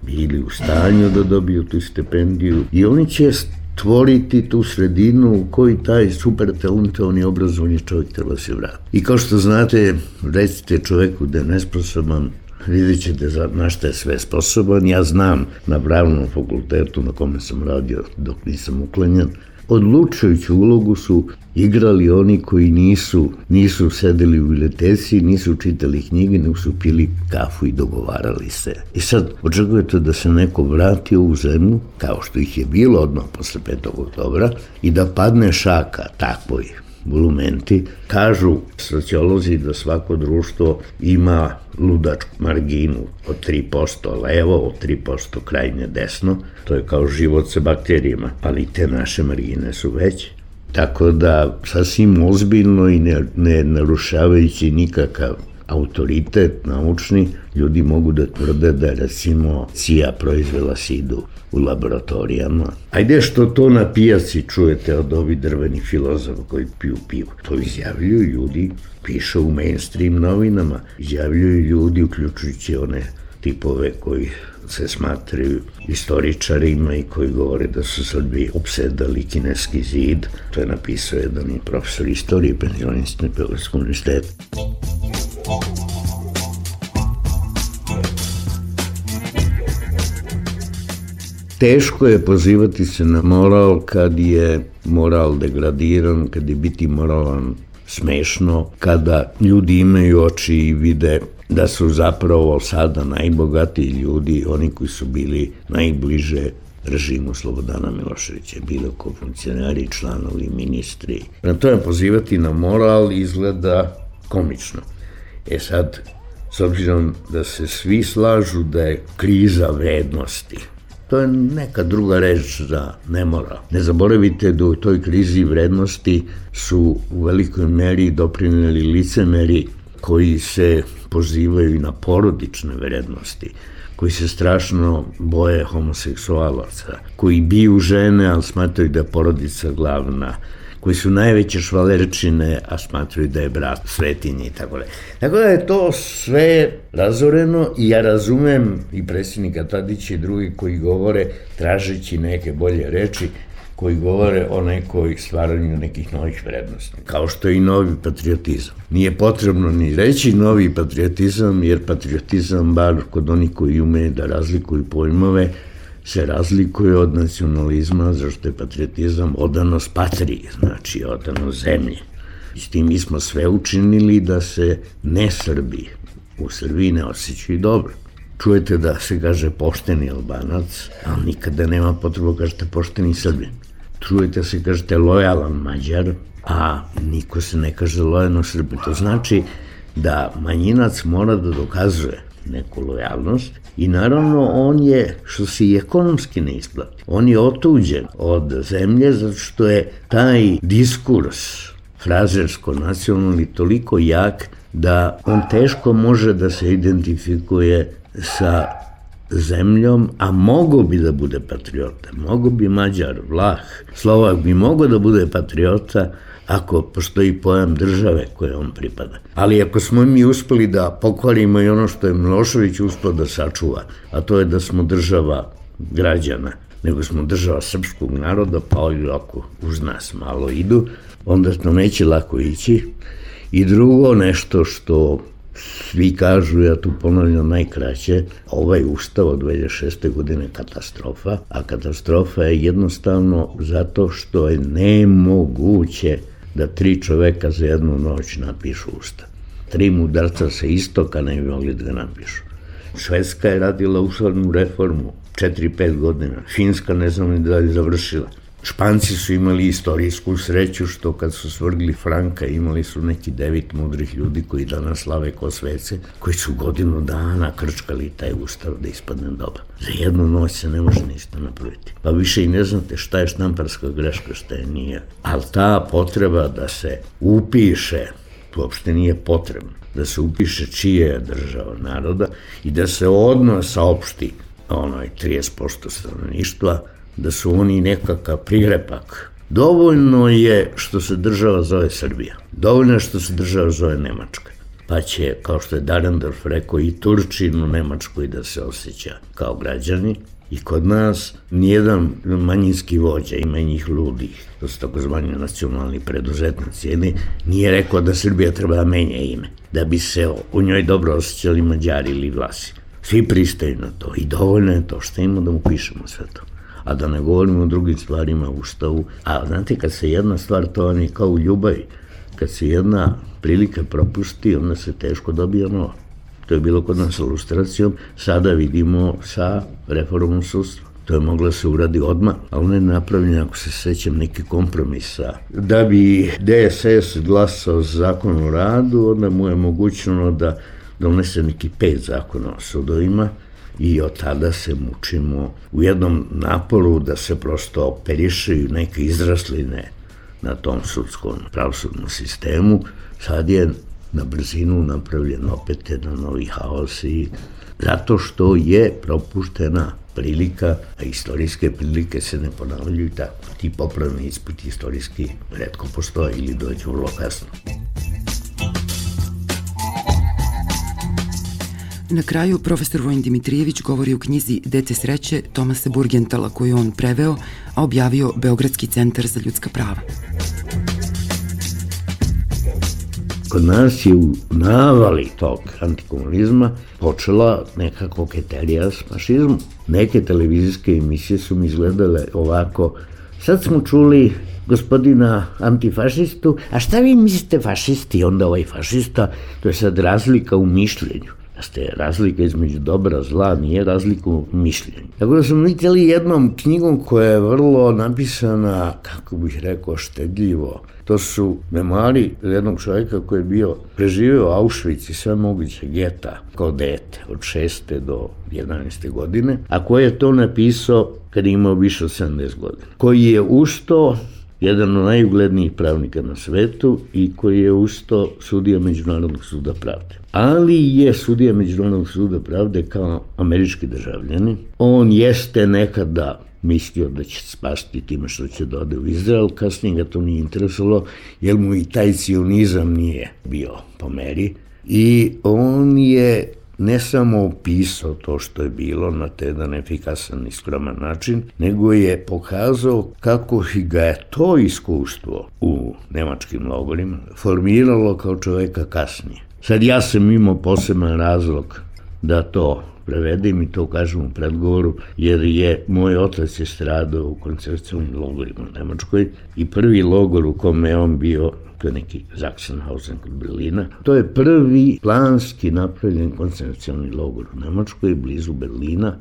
bili u stanju da dobiju tu stipendiju i oni će stvoriti tu sredinu u kojoj taj super talentovani obrazovni čovjek treba se vrati. I kao što znate, recite čoveku da je nesposoban, vidjet ćete na šta je sve sposoban. Ja znam na pravnom fakultetu na kome sam radio dok nisam uklanjan, odlučujuću ulogu su igrali oni koji nisu sedeli u biblioteci, nisu čitali knjige, nego su pili kafu i dogovarali se. I sad očekujete da se neko vrati u zemlju, kao što ih je bilo odmah posle 5. oktobra, i da padne šaka takvoj bulumenti. Kažu sociolozi da svako društvo ima ludačku marginu od 3% levo, od 3% krajnje desno. To je kao život sa bakterijama, ali te naše margine su veće. Tako da sasvim ozbiljno i ne narušavajući nikakav autoritet naučni, ljudi mogu da tvrde da recimo CIA proizvela sidu u laboratorijama. Ajde što to na pijaci čujete od ovih drvenih filozofa koji piju pivo. To izjavljuju ljudi, piše u mainstream novinama, izjavljuju ljudi uključujući one tipove koji se smatraju istoričarima i koji govore da su Srbi opsedali Kineski zid. To je napisao jedan profesor istorije, penzionista na Beogradskom univerzitetu. Teško je pozivati se na moral kad je moral degradiran, kad je biti moralan smešno, kada ljudi imaju oči i vide da su zapravo sada najbogatiji ljudi, oni koji su bili najbliže režimu Slobodana Miloševića, bilo kao funkcionari, članovi, ministri. Na to je pozivati na moral izgleda komično. Sad, s obzirom da se svi slažu da je kriza vrednosti, to je neka druga reč za nemoral. Ne zaboravite da u toj krizi vrednosti su u velikoj meri doprineli licemeri koji se pozivaju na porodične vrednosti, koji se strašno boje homoseksualaca, koji biju žene, ali smatraju da je porodica glavna, koji su najveće švalerčine, a smatraju da je brat svetinje i tako da. Tako da je to sve razoreno i ja razumem i predsjednika Tadića i drugi koji govore, tražeći neke bolje reči, koji govore o nekoj stvaranju nekih novih vrednosti, kao što je i novi patriotizam. Nije potrebno ni reći novi patriotizam, jer patriotizam, bar kod onih koji umeju da razlikuju pojmove, se razlikuje od nacionalizma, zašto je patriotizam odanost patriji, znači odanost zemlji. I s tim mi smo sve učinili da se ne Srbi u Srbiji ne osjećaju dobro. čujete da se kaže pošteni Albanac, ali nikada nema potrebu kažete pošteni Srbin. Čujete se kažete lojalan Mađar, a niko se ne kaže lojalno Srbin. To znači da manjinac mora da dokazuje neku lojalnost i naravno on je, što se i ekonomski ne isplati, on je otuđen od zemlje zato što je taj diskurs frazersko-nacionalni toliko jak da on teško može da se identifikuje sa zemljom, a mogo bi da bude patriota. Mogo bi Mađar, Vlah, Slovak bi mogo da bude patriota ako postoji pojam države koje on pripada. Ali ako smo mi uspeli da pokvarimo i ono što je Milošević uspeo da sačuva, a to je da smo država građana, nego smo država srpskog naroda, pa ovi ako uz nas malo idu, onda to neće lako ići. I drugo nešto što svi kažu, ja tu ponavljam najkraće, ovaj ustav od 2006. godine katastrofa, a katastrofa je jednostavno zato što je nemoguće da 3 čoveka za jednu noć napišu ustav. 3 mudarca sa istoka ne bi mogli da ga napišu. Švedska je radila ustavnu reformu 4-5 godina, Finska ne znam ni da je završila. Španci su imali istorijsku sreću što kad su svrgli Franka imali su neki 9 mudrih ljudi koji danas slave ko svece, koji su godinu dana krčkali taj ustav da ispadne dobro. Za jednu noć se ne može ništa napraviti. Pa više i ne znate šta je štamparska greška, šta je nije. Ali ta potreba da se upiše, uopšte nije potrebno, da se upiše čije je država naroda i da se odmah saopšti 30% stanovništva, da su oni nekakav pregrepak. Dovoljno je što se država zove Srbija. Dovoljno je što se država zove Nemačka. Pa će, kao što je Dahrendorf rekao, i Turčin u Nemačkoj da se osjeća kao građani. I kod nas nijedan manjinski vođa, ima njih ludih, to su takozvani nacionalni preduzetnici, nije rekao da Srbija treba da menja ime, da bi se u njoj dobro osjećali Mađari ili Vlasi. Svi pristaju na to i dovoljno je to što imamo da mu pišemo sve to. A da ne govorimo o drugim stvarima u Ustavu. A znate, kad se jedna stvar, to je kao u ljubavi, kad se jedna prilika propusti, onda se teško dobija nova. To je bilo kod nas sa lustracijom, sada vidimo sa reformom sudstva. To je moglo se uradi odmah, ali ona je napravljena, ako se sećam, neki kompromisa. Da bi DSS glasao za zakon o radu, onda mu je mogućeno da donese neki 5 zakona o sudovima, i od tada se mučimo u jednom naporu da se prosto operišaju neke izrasline na tom sudskom pravosudnom sistemu. Sad je na brzinu napravljen opet jedan novi haos i zato što je propuštena prilika, a istorijske prilike se ne ponavljaju tako. Ti popravni ispiti istorijski retko postoje ili dođu vrlo kasno. Na kraju, profesor Vojin Dimitrijević govori o knjizi Dete sreće Tomasa Burgentala, koju on preveo, a objavio Beogradski centar za ljudska prava. Kod nas je u navali tog antikomunizma počela neka koketerija s fašizmom. Neke televizijske emisije su mi izgledale ovako: sad smo čuli gospodina antifašistu, a šta vi mislite fašisti? Onda ovaj fašista, to je sad razlika u mišljenju. Razlika između dobra, zla, nije razlika u mišljenju. Tako da smo vidjeli jednom knjigom koja je vrlo napisana, kako bih rekao, štedljivo. To su memoari jednog čovjeka koji je preživio Auschwitz i sve moguće geta kao dete od 6. do 11. godine, a koji je to napisao kad je imao više od 70 godina. Koji je usto jedan od najuglednijih pravnika na svetu i koji je usto sudija Međunarodnog suda pravde. Ali je sudija Međunarodnog suda pravde kao američki državljanin. On jeste nekada mislio da će spasti time što će da ode u Izrael, kasnije ga to nije interesovalo, jer mu i taj cionizam nije bio po meri. I on je ne samo opisao to što je bilo na jedan efikasan i skroman način, nego je pokazao kako ga je to iskustvo u nemačkim logorima formiralo kao čoveka kasnije. Sad ja sam imao poseban razlog da to prevedem i to kažem u predgovoru, jer je moj otac je stradao u koncentracionim logorima u Nemačkoj i prvi logor u kome je on bio, to je neki Sachsenhausen kod Berlina, to je prvi planski napravljen koncentracioni logor u Nemačkoj, blizu Berlina,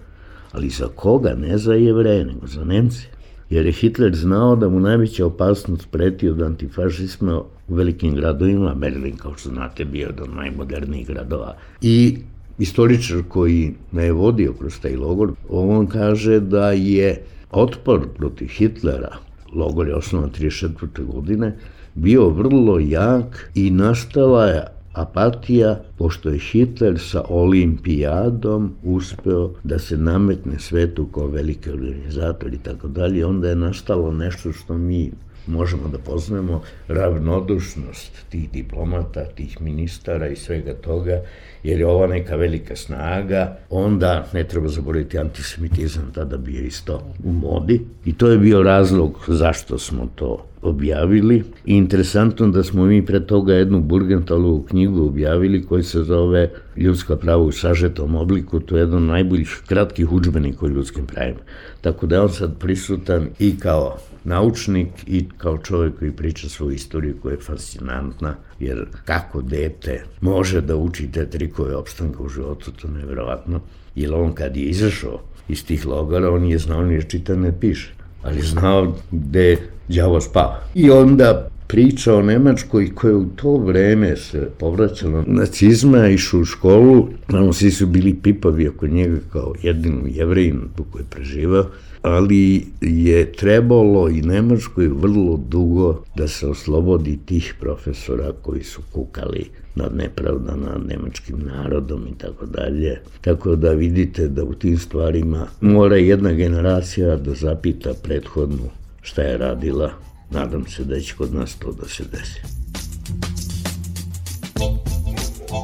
ali za koga? Ne za Jevreje, nego za Nemce. Jer je Hitler znao da mu najveća opasnost preti od antifašizma u velikim gradovima, Berlin, kao što znate, bio jedan od najmodernijih gradova. I istoričar koji me je vodio kroz taj logor, on kaže da je otpor protiv Hitlera, logor je osnovan 1934. godine, bio vrlo jak i nastala je apatija, pošto je Hitler sa olimpijadom uspeo da se nametne svetu kao veliki organizator i tako dalje, onda je nastalo nešto što mi možemo da poznamo, ravnodušnost tih diplomata, tih ministara i svega toga, jer je ova neka velika snaga, onda ne treba zaboraviti antisemitizam, tada bio isto u modi i to je bio razlog zašto smo to objavili. I interesantno da smo mi pre toga jednu Burgentalovu knjigu objavili koja se zove Ljudska prava u sažetom obliku, to je jedan od najboljih kratkih udžbenika o ljudskim pravima. Tako da je on sad prisutan i kao naučnik i kao čovjek koji priča svoju istoriju koja je fascinantna, jer kako dete može da uči te trikove opstanka u životu, to je nevjerovatno. Jer on kad je izašao iz tih logora, on je znao ni čita ne piše, ali znao gde đavo spava. I onda priča o Nemačkoj koja u to vreme se povraćala nacizma, išao u školu, svi su bili pipavi oko njega kao jedinu Jevrejinu koji je preživao, ali je trebalo i Nemačkoj vrlo dugo da se oslobodi tih profesora koji su kukali nad nepravda nad nemačkim narodom i tako dalje. Tako da vidite da u tim stvarima mora jedna generacija da zapita prethodnu šta je radila. Nadam se da će kod nas to da se desi.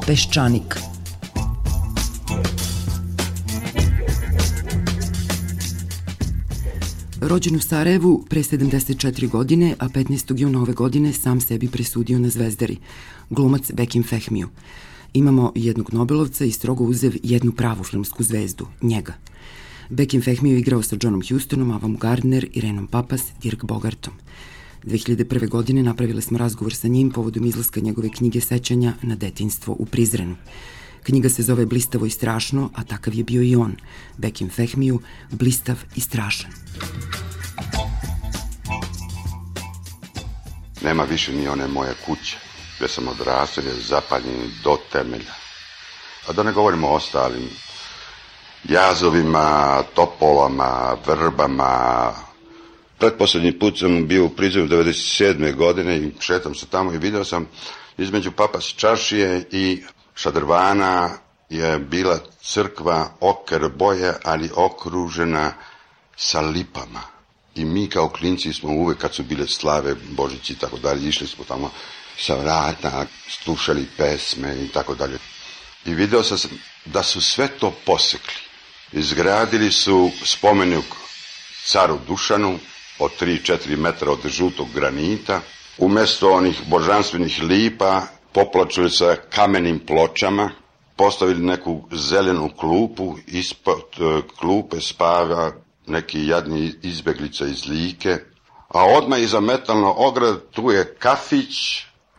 Peščanik. Rođen u Sarajevu pre 74 godine, a 15. juna ove godine sam sebi presudio na Zvezdari, glumac Bekim Fehmiju. Imamo jednog Nobelovca i strogo uzev jednu pravu filmsku zvezdu, njega. Bekim Fehmiju igrao sa Johnom Houstonom, Avom Gardner, Irenom Papas, Dirk Bogartom. 2001. godine napravili smo razgovor sa njim povodom izlaska njegove knjige sećanja na detinjstvo u Prizrenu. Knjiga se zove Blistavo i strašno, a takav je bio i on, Bekim Fehmiju, blistav i strašan. Nema više ni one moje kuće, gde sam odrastao, je zapaljen do temelja. A da ne govorimo o ostalim jazovima, topovama, vrbama. Pretposlednji put sam bio u Prizrenu 97. godine i šetam se tamo i video sam između Papas čaršije i Šadrvana je bila crkva oker boje, ali okružena sa lipama. I mi kao klinci smo uvek, kad su bile slave, Božići i tako dalje, išli smo tamo sa vrata, slušali pesme i tako dalje. I video sam da su sve to posekli. Izgradili su spomenik caru Dušanu od 3-4 metra od žutog granita. Umesto onih božanstvenih lipa poplačili sa kamenim pločama, postavili neku zelenu klupu, ispod klupe spava neki jadni izbeglica iz Like, a odmah iza metalno ograda tu je kafić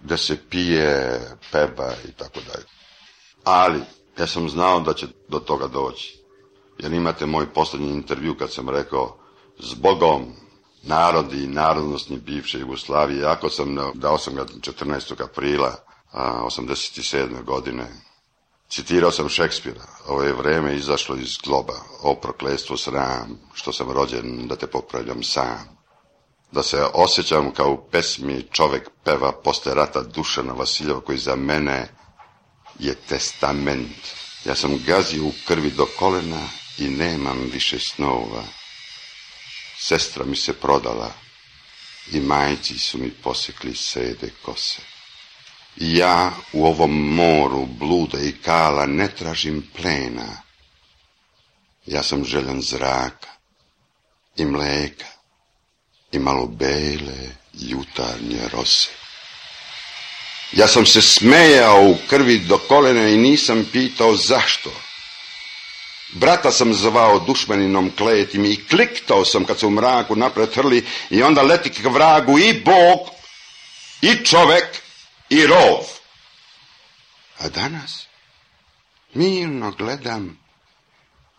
gde se pije, peva i tako dalje. Ali ja sam znao da će do toga doći, jer imate moj poslednji intervju kad sam rekao zbogom narodi i narodnostni bivše Jugoslavije, jako sam dao sam ga 14. aprila 87. godine. Citirao sam Šekspira, ovo je vreme izašlo iz globa, o prokletstvo sram, što sam rođen da te popravljam sam. Da se osjećam kao u pesmi čovek peva posle rata Dušana Vasiljeva, koji za mene je testament. Ja sam gazio u krvi do kolena i nemam više snova. Sestra mi se prodala i majci su mi posekli sede kose. I ja u ovom moru bluda i kala ne tražim plena. Ja sam željan zraka i mleka i malo bele jutarnje rose. Ja sam se smejao u krvi do kolena i nisam pitao zašto. Brata sam zvao dušmaninom kletim i kliktao sam kad se u mraku napred hrli i onda leti k vragu i Bog, i čovek, i rov. A danas mirno gledam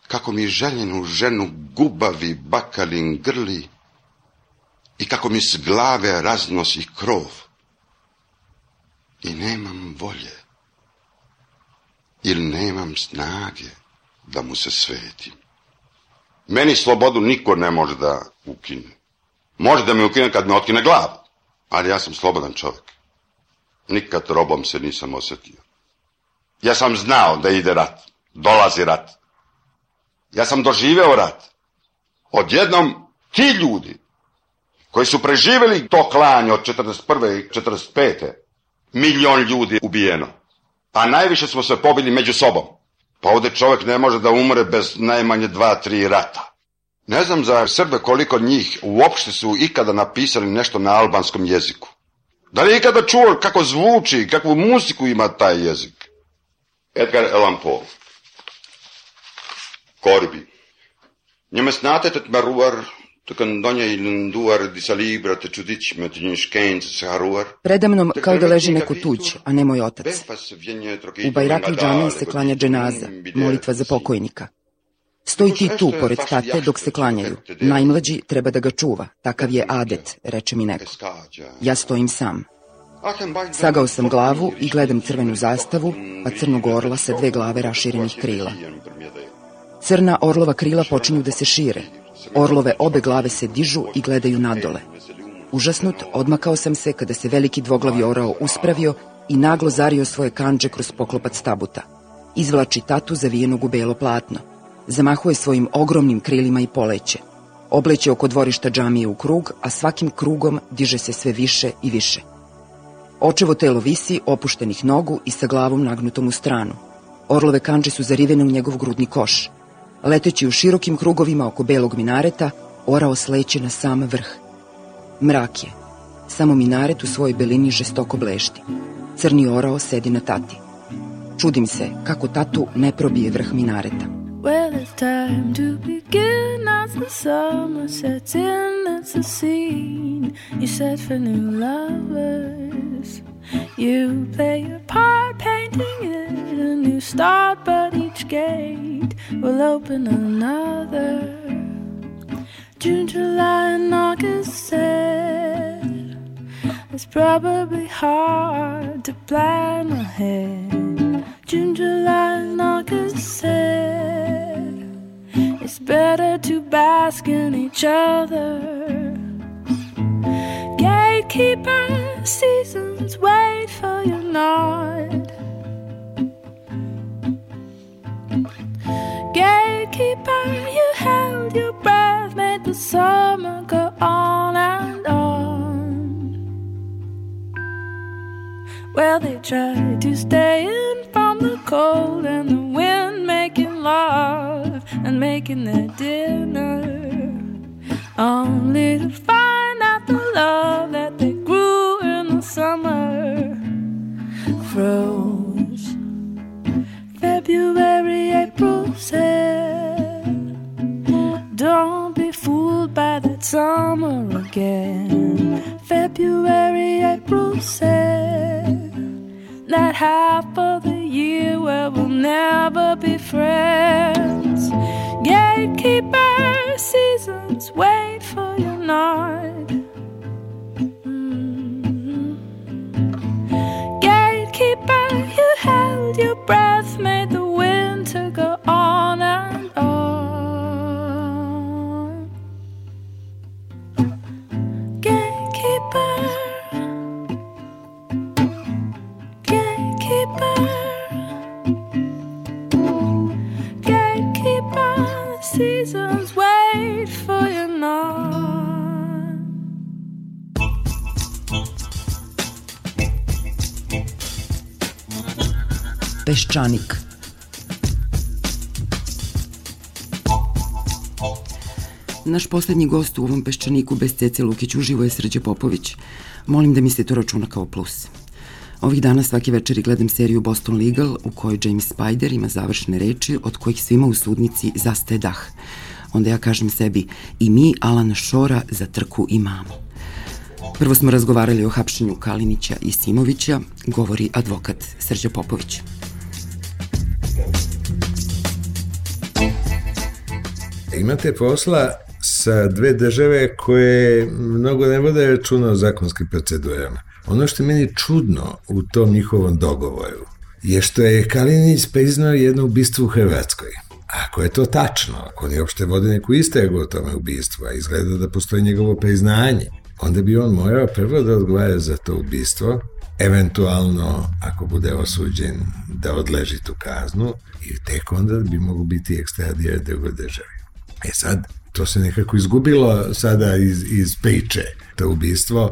kako mi željenu ženu gubavi bakalin grli i kako mi s glave raznosi krov. I nemam volje ili nemam snage da mu se svetim. Meni slobodu niko ne može da ukine. Može da me ukine kad me otkine glavu, ali ja sam slobodan čovjek. Nikad robom se nisam osjetio. Ja sam znao da ide rat, dolazi rat. Ja sam doživeo rat. Odjednom ti ljudi koji su preživjeli to klanje od 41. i 45. 1.000.000 ljudi ubijeno. A najviše smo se pobili među sobom. Pa ovdje čovjek ne može da umre bez najmanje 2-3 rata. Ne znam za Srbe koliko njih uopšte su ikada napisali nešto na albanskom jeziku. Da li je ikada čuo kako zvuči, kakvu muziku ima taj jezik? Edgar Allan Poe. Corbi. Njeme snate tet maruar, te kandonja ilun duar di salibra te čudić met nješkenc se haruar. Predamnom kao da leži neko tuđ, a ne moj otac. U Bajrakli džamiji se klanja dženaza, molitva za pokojnika. Stoji ti tu, pored tate, dok se klanjaju. Najmlađi treba da ga čuva, takav je adet, reče mi neko. Ja stojim sam. Sagao sam glavu i gledam crvenu zastavu, pa crnog orla sa 2 glave raširenih krila. Crna orlova krila počinju da se šire. Orlove obe glave se dižu i gledaju nadole. Užasnut, odmakao sam se kada se veliki dvoglavi orao uspravio i naglo zario svoje kandže kroz poklopac tabuta. Izvlači tatu zavijenog u belo platno. Zamahuje svojim ogromnim krilima i poleće. Obleće oko dvorišta džamije u krug, a svakim krugom diže se sve više i više. Očevo telo visi, opuštenih nogu i sa glavom nagnutom u stranu. Orlove kandže su zarivene u njegov grudni koš. Leteći u širokim krugovima oko belog minareta, orao sleće na sam vrh. Mrak je. Samo minaret u svojoj belini žestoko blešti. Crni orao sedi na tati. Čudim se kako tatu ne probije vrh minareta. Well, it's time to begin as the summer sets in, it's a scene you set for new lovers. You play your part, painting it a new start, but each gate will open another. June, July, and August said it's probably hard to plan ahead. June, July, and August said it's better to bask in each other. Gatekeeper, seasons wait for your nod. Gatekeeper, you held your breath, made the summer go on and on. Well, they tried to stay in from the cold and the wind, making love and making their dinner, only to find out the love that they grew in the summer froze. February, April said, don't be fooled by that summer again. February, April said, that half of the year where we'll never be friends. Gatekeeper, seasons wait for your nod. Gatekeeper, you held your breath, made the winter go on and on. Gatekeeper, gatekeeper, seasons wait for your nod. Peščanik. Naš poslednji gost u ovom Peščaniku bez Cece Lukić uživo je Srđe Popović. Molim da mi se to računa kao plus. Ovih dana svake večeri gledam seriju Boston Legal u kojoj James Spider ima završne reči od kojih svima u sudnici zastaje dah. Onda ja kažem sebi, i mi Alana Shora za trku imamo. Prvo smo razgovarali o hapšenju Kalinića i Simovića, govori advokat Srđa Popović. Imate posla sa dve države koje mnogo ne vode računa o zakonskim procedurama. Ono što je meni čudno u tom njihovom dogovoru je što je Kalinić priznao jedno ubistvo u Hrvatskoj. Ako je to tačno, ako oni uopšte vode neku istragu o tome ubistvu, a izgleda da postoji njegovo priznanje, onda bi on morao prvo da odgovara za to ubistvo, eventualno, ako bude osuđen, da odleži tu kaznu i tek onda bi mogu biti ekstradiran drugoj državi. E sad, to se nekako izgubilo sada iz priče, to ubistvo.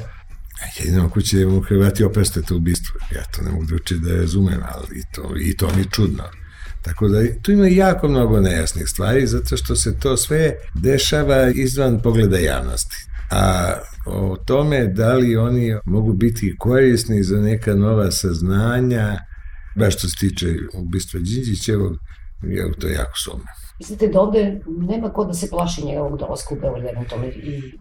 Jedino ako će mu Hrvati oprostiti to ubistvo, ja to ne mogu drugačije da razumem, ali i to mi je čudno. Tako da tu ima jako mnogo nejasnih stvari, zato što se to sve dešava izvan pogleda javnosti. A o tome da li oni mogu biti korisni za neka nova saznanja, baš što se tiče ubistva Đinđićevog, ja u to jako sumnjam. Mislite da ovde nema ko da se plaši njegovog dolaska u Beograd eventualno?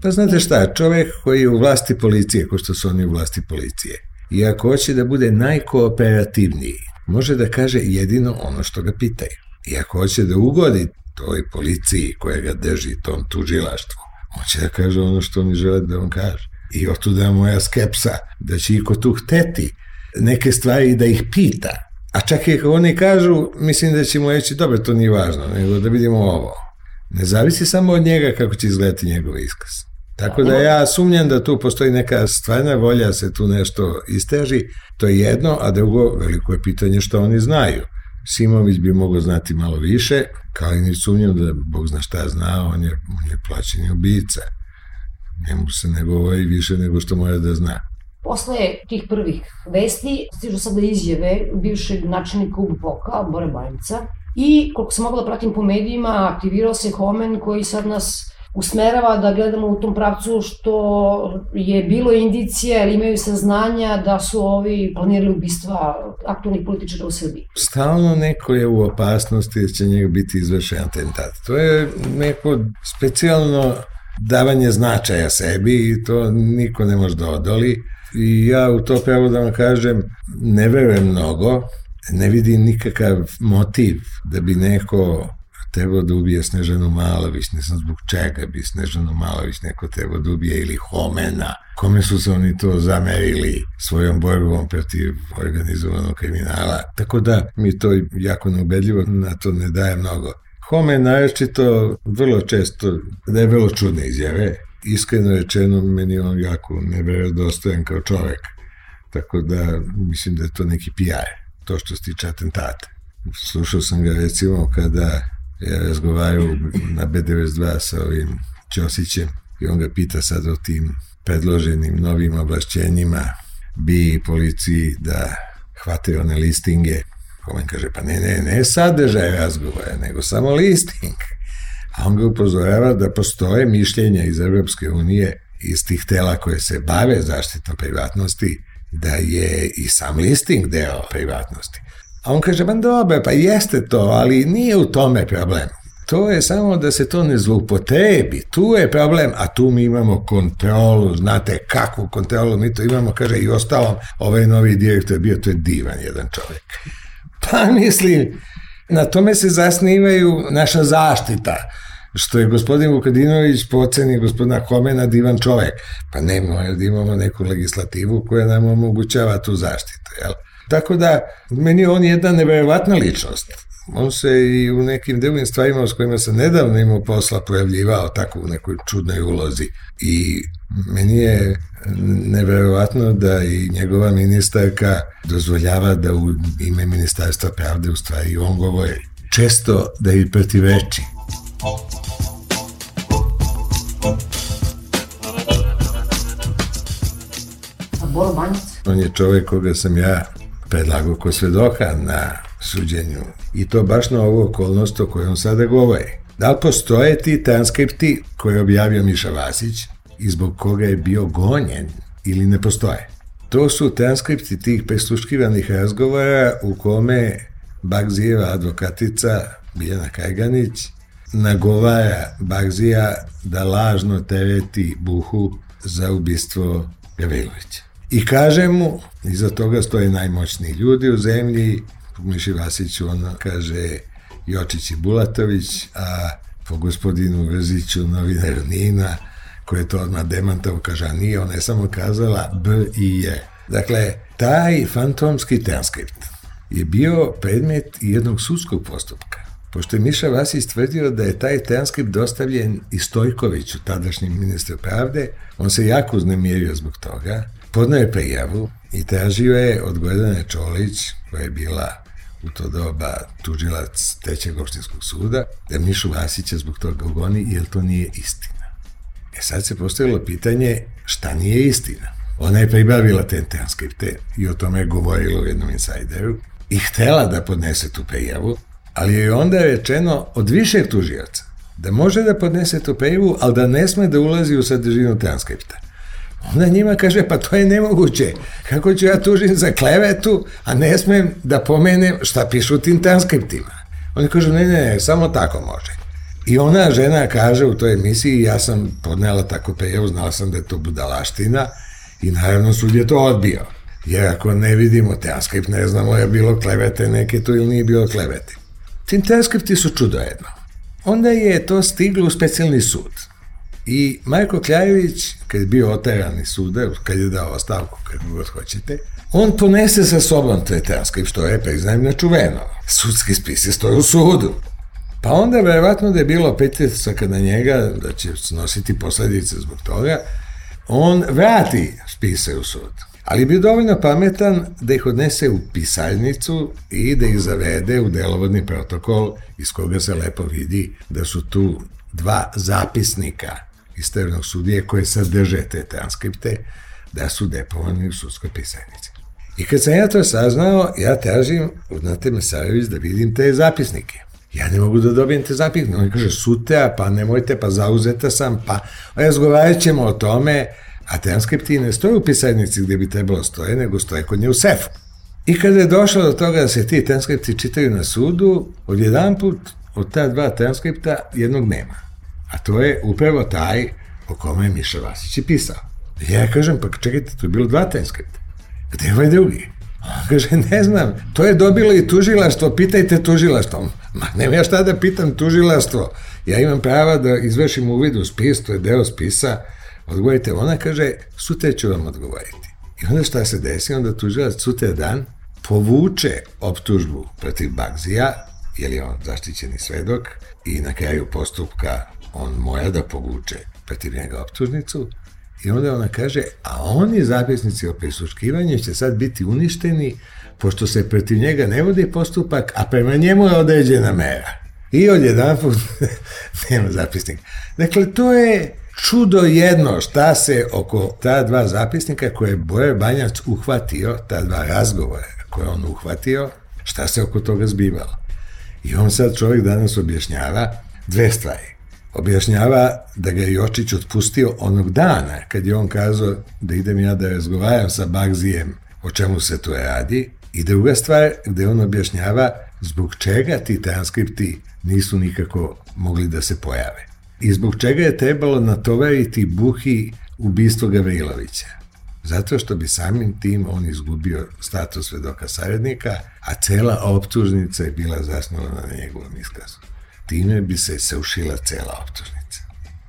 Pa znate šta, čovek koji je u vlasti policije, ko što su oni u vlasti policije, i ako hoće da bude najkooperativniji, može da kaže jedino ono što ga pitaju. I ako hoće da ugodi toj policiji koja ga drži, tom tužilaštvu, hoće da kaže ono što oni žele da on kaže. I otuda moja skepsa da će iko tu hteti neke stvari da ih pita. A čak i ako oni kažu, mislim da će mu reći, dobro, to nije važno, nego da vidimo ovo. Ne zavisi samo od njega kako će izgledati njegov iskaz. Tako da ja sumnjam da tu postoji neka stvarna volja se tu nešto istraži, to je jedno, a drugo, veliko je pitanje što oni znaju. Simović bi mogao znati malo više, Kalinić sumnjam da Bog zna šta zna, on je plaćeni ubica. Njemu se ne govori više nego što mora da zna. Posle tih prvih vesti stižu sada izjave bivšeg načelnika UBPOK-a, Bore Banjica, i koliko sam mogla da pratim po medijima, aktivirao se Homen koji sad nas usmerava da gledamo u tom pravcu što je bilo indicija ili imaju saznanja da su ovi planirali ubistva aktualnih političara u Srbiji. Stalno neko je u opasnosti da će njega biti izvršen atentat. To je neko specijalno davanje značaja sebi i to niko ne može da odoli. I ja u to pravo da vam kažem, ne verujem mnogo, ne vidim nikakav motiv da bi neko trebao da ubije Snežanu Malović, ne znam zbog čega bi Snežanu Malović neko trebao da ubije, ili Homena, kome su se oni to zamerili svojom borbom protiv organizovanog kriminala. Tako da mi to jako neubedljivo, na to ne daje mnogo. Homen naročito vrlo često daje vrlo čudne izjave. Iskreno rečeno, meni on jako neverodostojan kao čovek. Tako da mislim da je to neki PR, to što se tiče atentata. Slušao sam ga recimo kada je razgovarao na B92 sa ovim Ćosićem i on ga pita sad o tim predloženim novim ovlašćenjima BIA i policiji da hvate one listinge. Homen kaže, pa ne sadržaj razgovora, nego samo listing. A on ga upozorava da postoje mišljenja iz Evropske unije, iz tih tela koje se bave zaštitom privatnosti, da je i sam listing deo privatnosti. A on kaže, ba dobro, pa jeste to, ali nije u tome problem. To je samo da se to ne zloupotrebi. Tu je problem, a tu mi imamo kontrolu, znate kakvu kontrolu mi to imamo, kaže i ostalom, ovaj novi direktor bio, to je divan jedan čovjek. Pa mislim, na tome se zasnivaju naša zaštita, što je gospodin Vukadinović po oceni gospodina Homena divan čovjek. Pa ne, mora da imamo neku legislativu koja nam omogućava tu zaštitu, jel? Tako da, meni je on jedna neverovatna ličnost. On se i u nekim drugim stvarima s kojima sam nedavno imao posla pojavljivao tako u nekoj čudnoj ulozi. I meni je neverovatno da i njegova ministarka dozvoljava da u ime Ministarstva pravde u stvari on govori. Često da i protivreči. A Boro Banjic? On je čovjek koga sam ja predlagao ko svedoka na suđenju. I to baš na ovu okolnost o kojoj on sada govori. Da li postoje ti transkripti koje je objavio Miša Vasić i zbog koga je bio gonjen ili ne postoje? To su transkripti tih prisluškivanih razgovora u kome Bagzijeva advokatica Biljana Kajganić nagovara Bagzija da lažno tereti Buhu za ubistvo Gavrilovića. I kaže mu, iza toga stoje najmoćniji ljudi u zemlji, po Miši Vasiću on kaže Jočić i Bulatović, a po gospodinu Vrziću novinaru Nina, koji je to odmah demantao, kaže, a nije, ona je samo kazala B i J. Dakle, taj fantomski transkript je bio predmet jednog sudskog postupka. Pošto je Miša Vasić tvrdio da je taj transkript dostavljen i Stojkoviću, tadašnjem ministru pravde, on se jako uznemirio zbog toga, podneo je prijavu i tražio je od Gordane Čolić, koja je bila u to doba tužilac 3. opštinskog suda, da Mišu Vasića zbog toga ugoni, jer to nije istina. Sad se postavilo pitanje šta nije istina. Ona je pribavila te transkripte i o tome je govorila u jednom insajderu i htela da podnese tu prijavu, ali je onda rečeno od višeg tužioca da može da podnese tu prijavu, ali da ne sme da ulazi u sadržinu transkripta. Onda njima kaže, pa to je nemoguće. Kako ću ja tužiti za klevetu, a ne smem da pomenem šta pišu u tim transkriptima? Oni kažu, ne, samo tako može. I ona žena kaže u toj emisiji, ja sam podnela tako prijavu, znala sam da je to budalaština i naravno sud je to odbio. Jer ako ne vidimo transkript, ne znamo je bilo klevete neke tu ili nije bilo klevete. Tim transkripti su čudo jedno. Onda je to stiglo u specijalni sud. I Marko Kljajević, kad je bio oteran iz suda, kad je dao ostavku, kako god hoćete, on ponese sa sobom taj transkript, što je, priznajem, nečuveno. Sudski spis je stoji u sudu. Pa onda, verovatno da je bilo pritisaka na njega, da će snositi posledice zbog toga, on vrati spise u sud. Ali je bio dovoljno pametan da ih odnese u pisaljnicu i da ih zavede u delovodni protokol iz koga se lepo vidi da su tu dva zapisnika isternog sudije koje sadrže te transkripte, da su depovani u sudskoj pisaljnici. I kad sam ja to saznao, ja tražim od Nate Mesarović da vidim te zapisnike. Ja ne mogu da dobijem te zapisnike. On kaže, sutra, pa nemojte, pa zauzeta sam, pa razgovarat ćemo o tome, a transkripti ne stoje u pisaljnici gdje bi trebalo stoje, nego stoje kod nje u sefu. I kada je došlo do toga da se ti transkripti čitaju na sudu, odjedanput od ta dva transkripta jednog nema. A to je upravo taj o kome je Miša Vasić i pisao. Ja kažem, pa čekajte, to je bilo dva transkripta. Gde je ovaj drugi? On kaže, ne znam, to je dobilo i tužilaštvo, pitajte tužilaštvo. Ma, nema ja šta da pitam tužilaštvo. Ja imam prava da izvršim uvid u spis, to je deo spisa. Odgovorite, ona kaže, sutra ću vam odgovoriti. I onda šta se desi? Onda tužilac sutra dan povuče optužbu protiv Bagzija, jer je on zaštićeni svedok, i na kraju postupka on mora da povuče protiv njega optužnicu, i onda ona kaže, a oni zapisnici o prisluškivanju će sad biti uništeni, pošto se protiv njega ne vodi postupak, a prema njemu je određena mera. I odjedanput nema zapisnika. Dakle, to je čudo jedno šta se oko ta dva zapisnika koje je Bore Banjac uhvatio, ta dva razgovora koje on uhvatio, šta se oko toga zbivalo. I on sad čovjek danas objašnjava dve stvari. Objašnjava da ga je Jočić otpustio onog dana kad je on kazao da idem ja da razgovaram sa Bagzijem o čemu se tu radi. I druga stvar gde on objašnjava zbog čega ti transkripti nisu nikako mogli da se pojave. I zbog čega je trebalo natovariti Buhi ubistvo Gavrilovića. Zato što bi samim tim on izgubio status svedoka saradnika, a cela optužnica je bila zasnovana na njegovom iskazu. Time bi se srušila cela optužnica.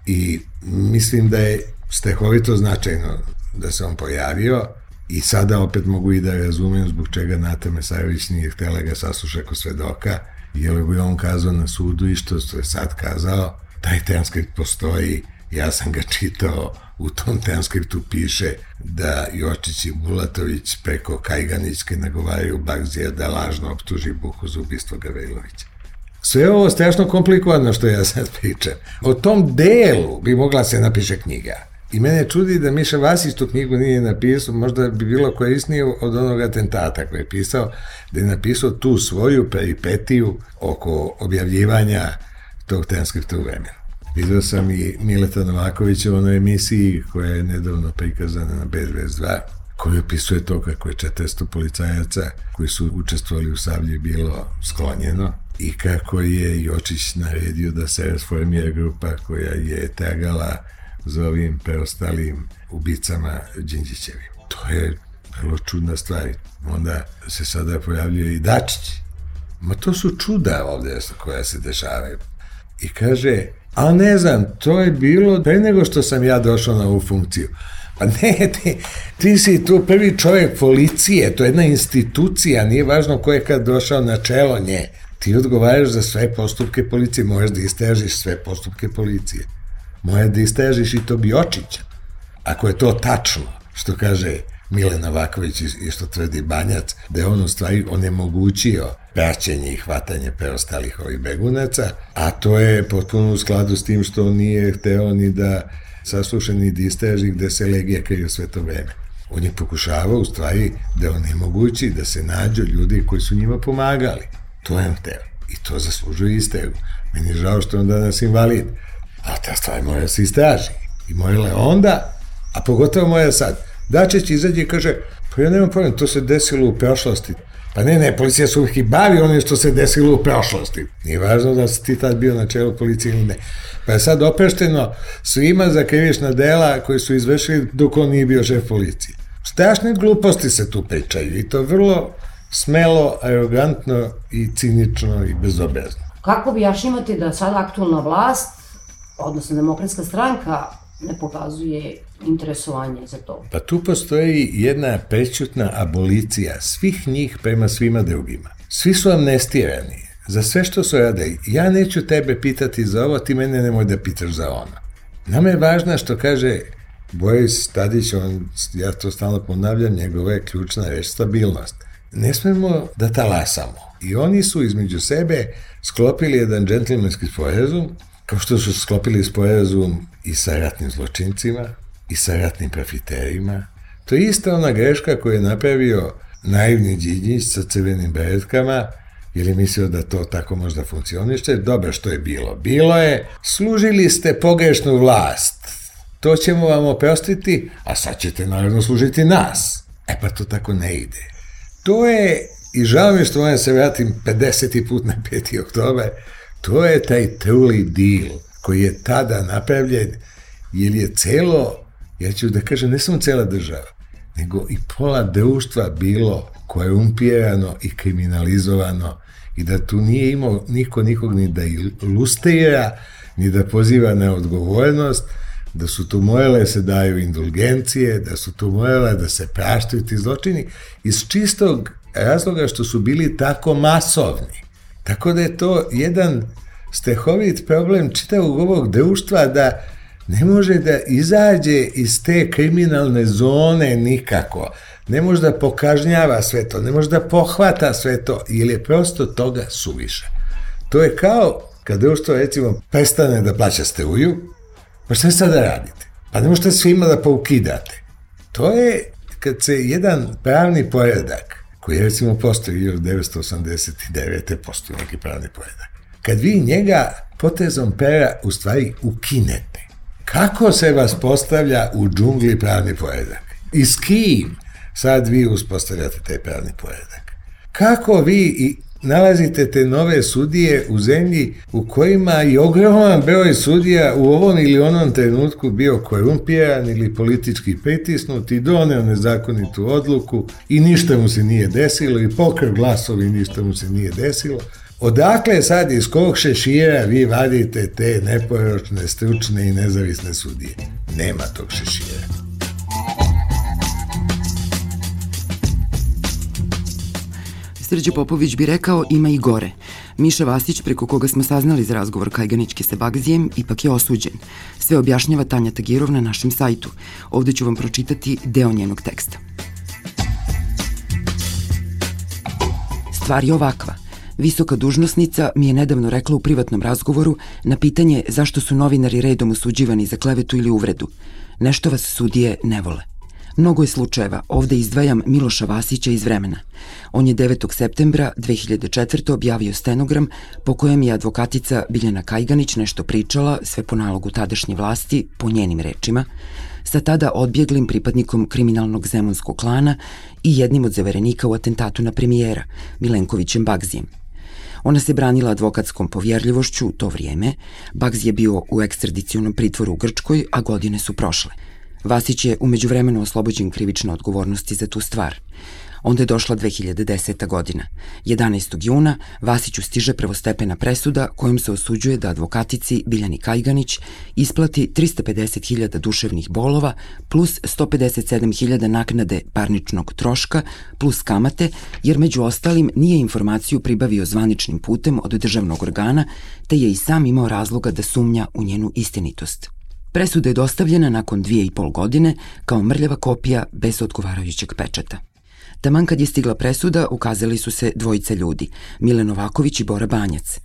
I mislim da je strahovito značajno da se on pojavio i sada opet mogu i da razumem zbog čega Nata Mesarović nije htjela ga sasluša kao svedoka, jer bi on kazao na sudu i što je sad kazao, taj transkript postoji, ja sam ga čitao, u tom transkriptu piše da Jočić i Bulatović preko Kajganićke nagovaraju Bagzija da lažno optuži Buhu za ubistvo Gavrilovića. Sve je ovo strašno komplikovano što ja sad pričam. O tom delu bi mogla se napiše knjiga. I mene čudi da Miša Vasić tu knjigu nije napisao, možda bi bilo korisnije od onog atentata koji je pisao, da je napisao tu svoju peripetiju oko objavljivanja tog transkripta u vremenu. Vidio sam i Mileta Novakovića u onoj emisiji koja je nedavno prikazana na B22, koji opisuje to kako je 400 policajaca koji su učestvovali u Sablji bilo sklonjeno i kako je Jočić naredio da se rasformira grupa koja je tragala za ovim preostalim ubicama Đinđićevim. To je vrlo čudna stvar. Onda se sada pojavljuje i Dačić. Ma to su čuda ovde koja se dešavaju. I kaže, a ne znam, to je bilo pre nego što sam ja došao na ovu funkciju. Pa ne, ti si tu prvi čovjek policije, to je jedna institucija, nije važno ko je kad došao na čelo nje. Ti odgovaraš za sve postupke policije, možeš da istražiš sve postupke policije. Možeš da istražiš i to Jočića. Ako je to tačno, što kaže Mile Novaković i što tvrdi Banjac, da je on u stvari onemogućio praćenje i hvatanje preostalih ovih begunaca, a to je potpuno u skladu s tim što on nije hteo ni da sasluša ni da istraži gde se Legija krije sve to vreme. On je pokušavao u stvari da onemogući da se nađu ljudi koji su njima pomagali. To je on hteo. I to zaslužuje istragu. Meni je žao što je on danas invalid. A ta stvar mora se istraži. I morala je onda, a pogotovo mora sad. Dačić izađe i kaže, pa ja nemam pojma, to se desilo u prošlosti. Pa ne, policija se uvijek i bavi onim što se desilo u prošlosti. Nije važno da si ti tad bio na čelu policije ili ne. Pa je sad oprešteno svima za krivična dela koji su izvršili dok on nije bio šef policije. Strašne gluposti se tu pričaju i to vrlo smelo, arogantno i cinično i bezobrazno. Kako objašnjavate da sada aktualna vlast, odnosno Demokratska stranka, ne pokazuje interesovanje za to? Pa tu postoji jedna prećutna abolicija svih njih prema svima drugima. Svi su amnestirani za sve što su radili. Ja neću tebe pitati za ovo, ti mene nemoj da pitaš za ono. Nama je važno što kaže Boris Tadić, ja to stalno ponavljam, njegova je ključna reč stabilnost. Ne smemo da talasamo. I oni su između sebe sklopili jedan džentlmenski sporazum, kao što su sklopili sporazum i sa ratnim zločincima, i sa ratnim profiterima. To je ista ona greška koju je napravio naivni Đinđić sa crvenim beretkama, jer je mislio da to tako možda funkcioniše. Dobro, što je bilo? Bilo je, služili ste pogrešnu vlast, to ćemo vam oprostiti, a sad ćete naravno služiti nas. E pa to tako ne ide. To je, i žao mi što moram se vratim 50. put na 5. oktober, to je taj truli deal koji je tada napravljen, jer je celo, ja ću da kažem, ne samo cela država, nego i pola društva bilo korumpirano i kriminalizovano i da tu nije imao niko nikog ni da ilustrira, ni da poziva na odgovornost, da su tu morale se daju indulgencije, da su tu morale da se praštaju ti zločini iz čistog razloga što su bili tako masovni. Tako da je to jedan stehovit problem čitavog ovog društva da ne može da izađe iz te kriminalne zone nikako. Ne može da pokažnjava sve to, ne može da pohvata sve to, jer je prosto toga suviše. To je kao kad društvo, recimo, prestane da plaća struju, pa šta sada radite? Pa ne možete svima da poukidate. To je kad se jedan pravni poredak, koji recimo postoji 1989. postoji neki pravni poredak, kad vi njega potezom pera u stvari ukinete, kako se vas postavlja u džungli pravni poredak? I s kim sad vi uspostavljate taj pravni poredak? Kako vi nalazite te nove sudije u zemlji u kojima je ogroman broj sudija u ovom ili onom trenutku bio korumpiran ili politički pritisnut i doneo nezakonitu odluku i ništa mu se nije desilo i pokrao glasovi i ništa mu se nije desilo? Odakle sad iz kog šešira vi vadite te neporočne, stručne i nezavisne sudije? Nema tog šešira. Srđe Popović bi rekao ima i gore. Miša Vasić, preko koga smo saznali za razgovor Kajganićke sa Bagzijem, ipak je osuđen. Sve objašnjava Tanja Tagirov na našem sajtu. Ovde ću vam pročitati deo njenog teksta. Stvar je ovakva. Visoka dužnosnica mi je nedavno rekla u privatnom razgovoru na pitanje zašto su novinari redom osuđivani za klevetu ili uvredu. Nešto vas sudije ne vole. Mnogo je slučajeva, ovde izdvajam Miloša Vasića iz Vremena. On je 9. septembra 2004. objavio stenogram po kojem je advokatica Biljana Kajganić nešto pričala, sve po nalogu tadašnje vlasti, po njenim rečima, sa tada odbjeglim pripadnikom kriminalnog zemunskog klana i jednim od zaverenika u atentatu na premijera, Milenkovićem Bagzijem. Ona se branila advokatskom povjerljivošću u to vrijeme. Bagzi je bio u ekstradicionom pritvoru u Grčkoj, a godine su prošle. Vasić je umeđu vremenu oslobođen krivične odgovornosti za tu stvar. Onda je došla 2010. godina. 11. juna Vasiću stiže prvostepena presuda kojom se osuđuje da advokatici Biljani Kajganić isplati 350.000 duševnih bolova plus 157.000 naknade parničnog troška plus kamate, jer među ostalim nije informaciju pribavio zvaničnim putem od državnog organa, te je i sam imao razloga da sumnja u njenu istinitost. Presuda je dostavljena nakon 2,5 godine kao mrljava kopija bez odgovarajućeg pečata. Taman kad je stigla presuda, ukazali su se dvojica ljudi, Mile Novaković i Bora Banjac.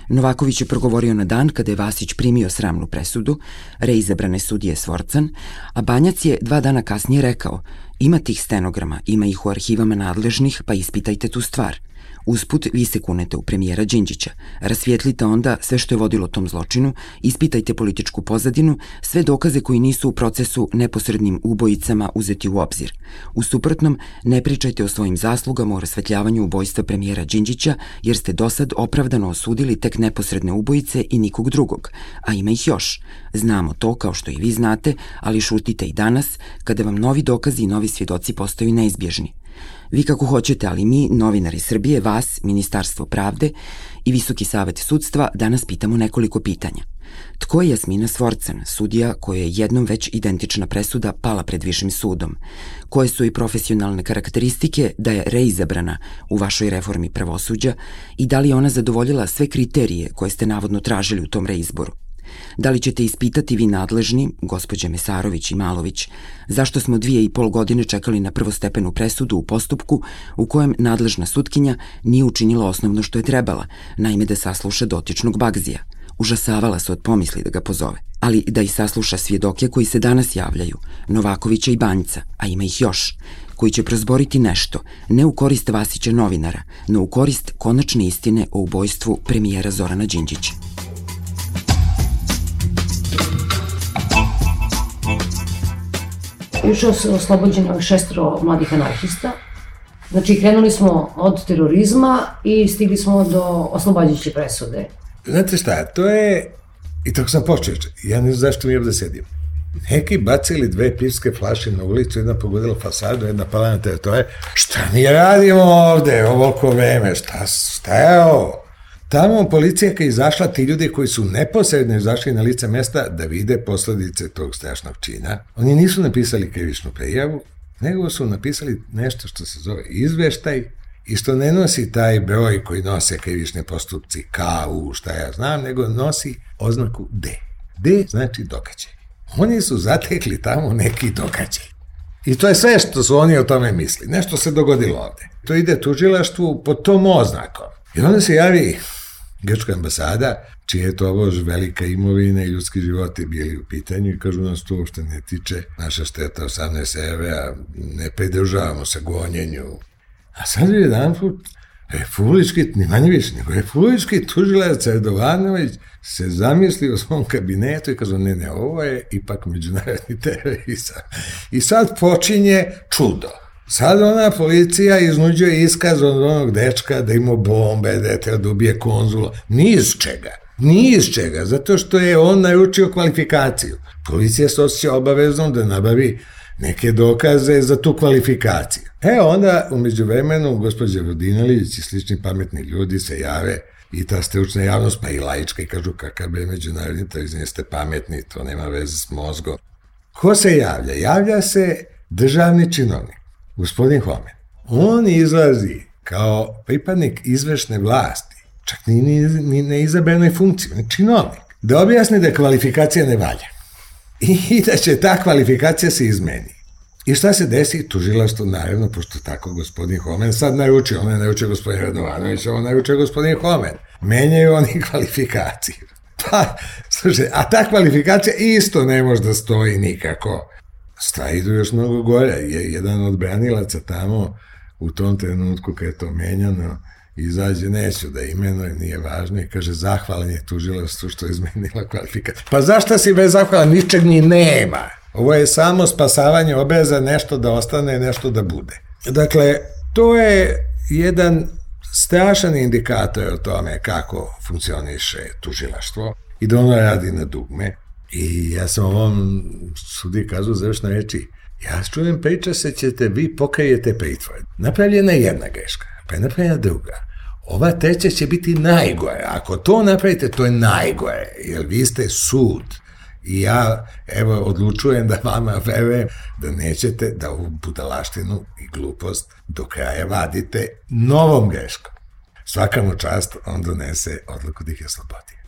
Novaković je progovorio na dan kada je Vasić primio sramnu presudu, reizabrane sudije Svorcan, a Banjac je 2 dana kasnije rekao: ima tih stenograma, ima ih u arhivama nadležnih, pa ispitajte tu stvar. Usput, vi se kunete u premijera Đinđića. Rasvijetlite onda sve što je vodilo tom zločinu, ispitajte političku pozadinu, sve dokaze koji nisu u procesu neposrednim ubojicama uzeti u obzir. U suprotnom, ne pričajte o svojim zaslugama o rasvetljavanju ubojstva premijera Đinđića, jer ste dosad opravdano osudili tek neposredne ubojice i nikog drugog, a ima ih još. Znamo to, kao što i vi znate, ali šutite i danas, kada vam novi dokazi i novi svjedoci postaju neizbježni. Vi kako hoćete, ali mi, novinari Srbije, vas, Ministarstvo pravde i Visoki savet sudstva, danas pitamo nekoliko pitanja. Tko je Jasmina Svorcan, sudija koja je jednom već identična presuda pala pred višim sudom? Koje su i profesionalne karakteristike da je reizabrana u vašoj reformi pravosuđa i da li je ona zadovoljila sve kriterije koje ste navodno tražili u tom reizboru? Da li ćete ispitati vi nadležni, gospođe Mesarović i Malović, zašto smo 2,5 godine čekali na prvostepenu presudu u postupku u kojem nadležna sutkinja nije učinila osnovno što je trebala, naime da sasluša dotičnog Bagzija. Užasavala se od pomisli da ga pozove, ali da i sasluša svjedoke koji se danas javljaju, Novakovića i Banjca, a ima ih još, koji će prozboriti nešto, ne u korist Vasića novinara, no u korist konačne istine o ubojstvu premijera Zorana Đinđića. Juče se oslobođeno 6 mladih anarhista. Znači, krenuli smo od terorizma i stigli smo do oslobađajuće presude. Znate šta, to je, i tako sam počeo, ja ne znam zašto mi ovde sedim. Neki bacili 2 pivske flaše na ulicu, jedna pogodila fasadu, jedna pala na teritoriju. Šta mi radimo ovde, ovoliko vreme, šta je ovo? Tamo policija kad je izašla, ti ljudi koji su neposredno izašli na lice mesta da vide posledice tog strašnog čina, oni nisu napisali krivičnu prijavu, nego su napisali nešto što se zove izveštaj i što ne nosi taj broj koji nose krivične postupci KU, šta ja znam, nego nosi oznaku D. D znači događaj. Oni su zatekli tamo neki događaj. I to je sve što su oni o tome misli. Nešto se dogodilo ovde. To ide tužilaštvu pod tom oznakom. I onda se javi grčka ambasada, čije je to ovo velika imovina i ljudski životi bili u pitanju i kažu nas to uopšte ne tiče, naša šteta 18 evra, ne pridržavamo se gonjenju. A sad je jedan put republički, ni manje više, nego republički tužilac Radovanović se zamisli u svom kabinetu i kažu ne, ovo je ipak međunarodni terorizam. I sad počinje čudo. Sad ona policija iznuđuje iskaz od onog dečka da ima bombe, da je treba da ubije konzula. Ni iz čega, zato što je on naručio kvalifikaciju. Policija se osjeća obaveznom da nabavi neke dokaze za tu kvalifikaciju. Onda, umeđu vremenu, gospođa Vodinelić i slični pametni ljudi se jave i ta stručna javnost, pa i laička, i kažu kakav je međunarodni terorizam, jeste pametni, to nema veze s mozgom. Ko se javlja? Javlja se državni činovnik, gospodin Homen. On izlazi kao pripadnik izvršne vlasti, čak ni na izabranoj funkciji, on je činovnik, da objasni da kvalifikacija ne valja i da će ta kvalifikacija se izmeni. I šta se desi? Tužilaštvo, naravno, pošto tako gospodin Homen sad naručio, on je naručio gospodin Radovanović, on naručio gospodin Homen. Menjaju oni kvalifikaciju. Pa, slušaj, a ta kvalifikacija isto ne može da stoji nikako. stvari idu još mnogo gore. Jedan od branilaca tamo u tom trenutku kad je to menjano izađe, neću da imenujem, nije važno, i kaže zahvalan je tužilaštvu što je izmenila kvalifikaciju. Pa zašto si bez zahvalan? Ničeg ni nema. Ovo je samo spasavanje obeza, nešto da ostane, nešto da bude. Dakle, to je jedan strašan indikator o tome kako funkcioniše tužilaštvo i da ono radi na dugme. I ja sam ovom sudi kazao završno reći, ja čujem priča se ćete, vi pokajete pritvor. Napravljena je jedna greška, pa je napravljena druga. Ova treća će biti najgore. Ako to napravite, to je najgore, jer vi ste sud. I ja, evo, odlučujem da vama verujem da nećete da ovu budalaštinu i glupost do kraja vadite novom greškom. Svaka mu čast, on donese odluku da ih je oslobodio.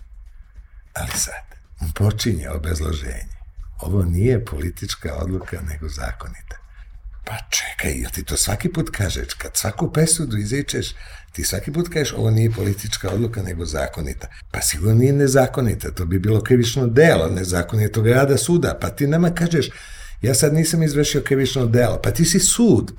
Ali sad, on počinje obrazloženje. Ovo nije politička odluka, nego zakonita. Pa čekaj, jel ti to svaki put kažeš? Kad svaku presudu izričeš, ti svaki put kažeš ovo nije politička odluka, nego zakonita. Pa sigurno nije nezakonita, to bi bilo krivično delo, nezakonitog rada suda. Pa ti nama kažeš, ja sad nisam izvršio krivično delo, pa ti si sud.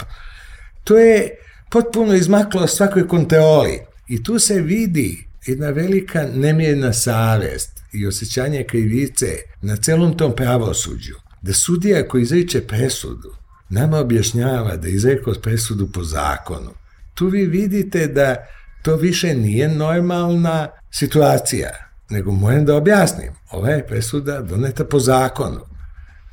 To je potpuno izmaklo svakoj kontroli. I tu se vidi jedna velika nemjerna savest i osjećanje krivice na celom tom pravosuđu. Da sudija koji izriče presudu nama objašnjava da je izrekao presudu po zakonu. Tu vi vidite da to više nije normalna situacija, nego moram da objasnim. Ova je presuda doneta po zakonu.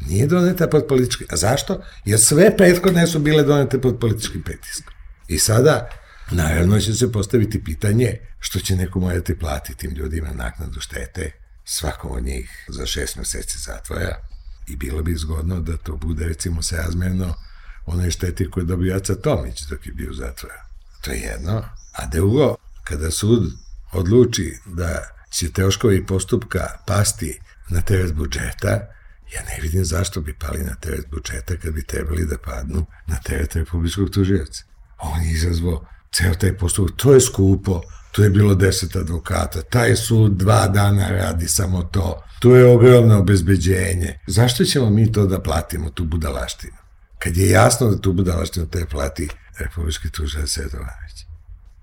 Nije doneta pod političkim. A zašto? Jer sve prethodne su bile donete pod političkim pritiskom. I sada, naravno, će se postaviti pitanje što će neko morati platiti tim ljudima naknadu štete, svakom od njih za 6 meseci zatvora. I bilo bi zgodno da to bude, recimo, srazmerno onoj šteti koju je dobio Aca Tomić dok je bio u zatvoru. To je jedno. A drugo, kada sud odluči da će troškovi postupka pasti na teret budžeta, ja ne vidim zašto bi pali na teret budžeta kad bi trebali da padnu na teret republičkog tužioca. On je izazvao ceo taj postupak. To je skupo, tu je bilo 10 advokata, taj sud 2 dana radi samo to. Tu je ogromno obezbeđenje. Zašto ćemo mi to da platimo, tu budalaštinu? Kad je jasno da tu budalaštinu te plati republički tužilac Radovanović.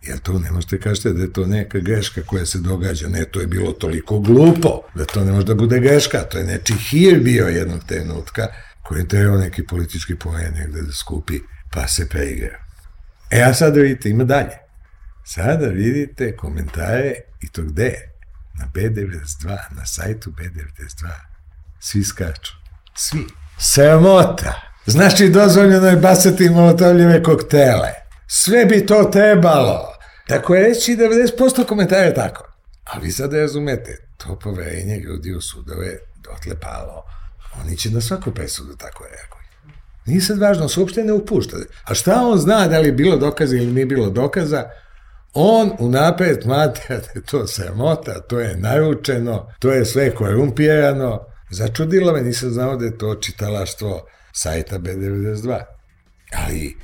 Jer to ne možete kažete da je to neka greška koja se događa. Ne, to je bilo toliko glupo da to ne može da bude greška. To je neči hir bio jednog trenutka koji je trebao neki politički poen negde da skupi, pa se preigrao. A sada vidite, ima dalje. Sada vidite komentare i to gde? Na B92, na sajtu B92. Svi skaču. Svi. Sramota. Znači, dozvoljeno je bacati molotovljive koktele. Sve bi to trebalo. Tako je reći 90% komentara tako. Ali vi sad razumete, to poverenje ljudi u sudove dotle palo. Oni će na svaku presudu tako reaguju. Nije sad važno, se uopšte ne upušta. A šta on zna da li je bilo dokaza ili nije bilo dokaza? On unapred smatra da je to sramota, to je naručeno, to je sve korumpirano. Začudilo me, nisam znao da je to čitalaštvo sajta B92. Ali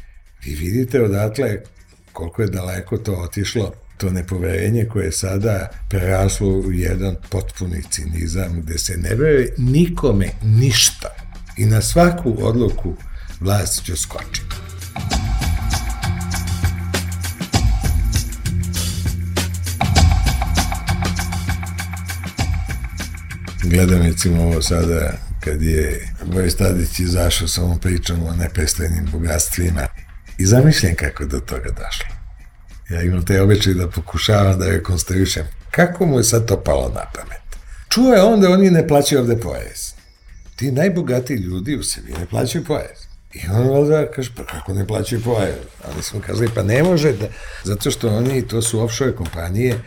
vi vidite odatle koliko je daleko to otišlo, to nepoverenje koje je sada preraslo u jedan potpuni cinizam gde se ne veruje nikome ništa. I na svaku odluku vlast će skočiti. Gledam recimo ovo sada kad je Boris Tadić izašao sa ovom pričom o neprestajnim bogatstvima i zamišljam kako je do toga došlo. Ja imam te običaj da pokušavam da rekonstruišem kako mu je sad to palo na pamet. Čuo je onda oni ne plaćaju ovde porez. Ti najbogatiji ljudi u sebi ne plaćaju porez. I on onda kaže, pa kako ne plaćaju porez? Ali smo kazali, pa ne može da, zato što oni, to su offshore kompanije,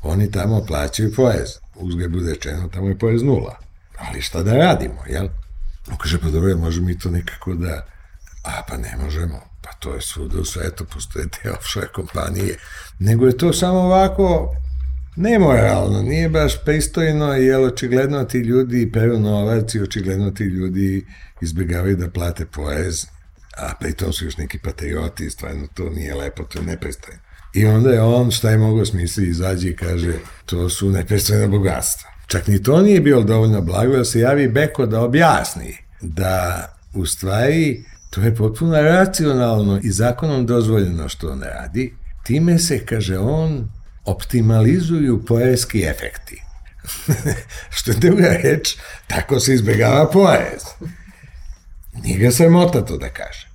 oni tamo plaćaju porez. Uzgled bude rečeno, tamo je porez 0. Ali šta da radimo, jel? On kaže, pa dobro, možemo mi to nekako da... A, pa ne možemo. Pa to je svuda u svetu, postoje te offshore kompanije. Nego je to samo ovako nemoralno, nije baš pristojno, jer očigledno ti ljudi peru novac i očigledno ti ljudi izbjegavaju da plate porez, a pritom su još neki patrioti, stvarno to nije lepo, to je nepristojno. I onda je on, šta je mogao smisliti, izađe i kaže, to su nepristojna bogatstva. Čak ni to nije bilo dovoljno blago, da se javi Beko da objasni da u stvari to je potpuno racionalno i zakonom dozvoljeno što on radi. Time se, kaže on, optimalizuju poreski efekti. Što je druga reč, tako se izbjegava porez. Nije ga sramota to da kaže.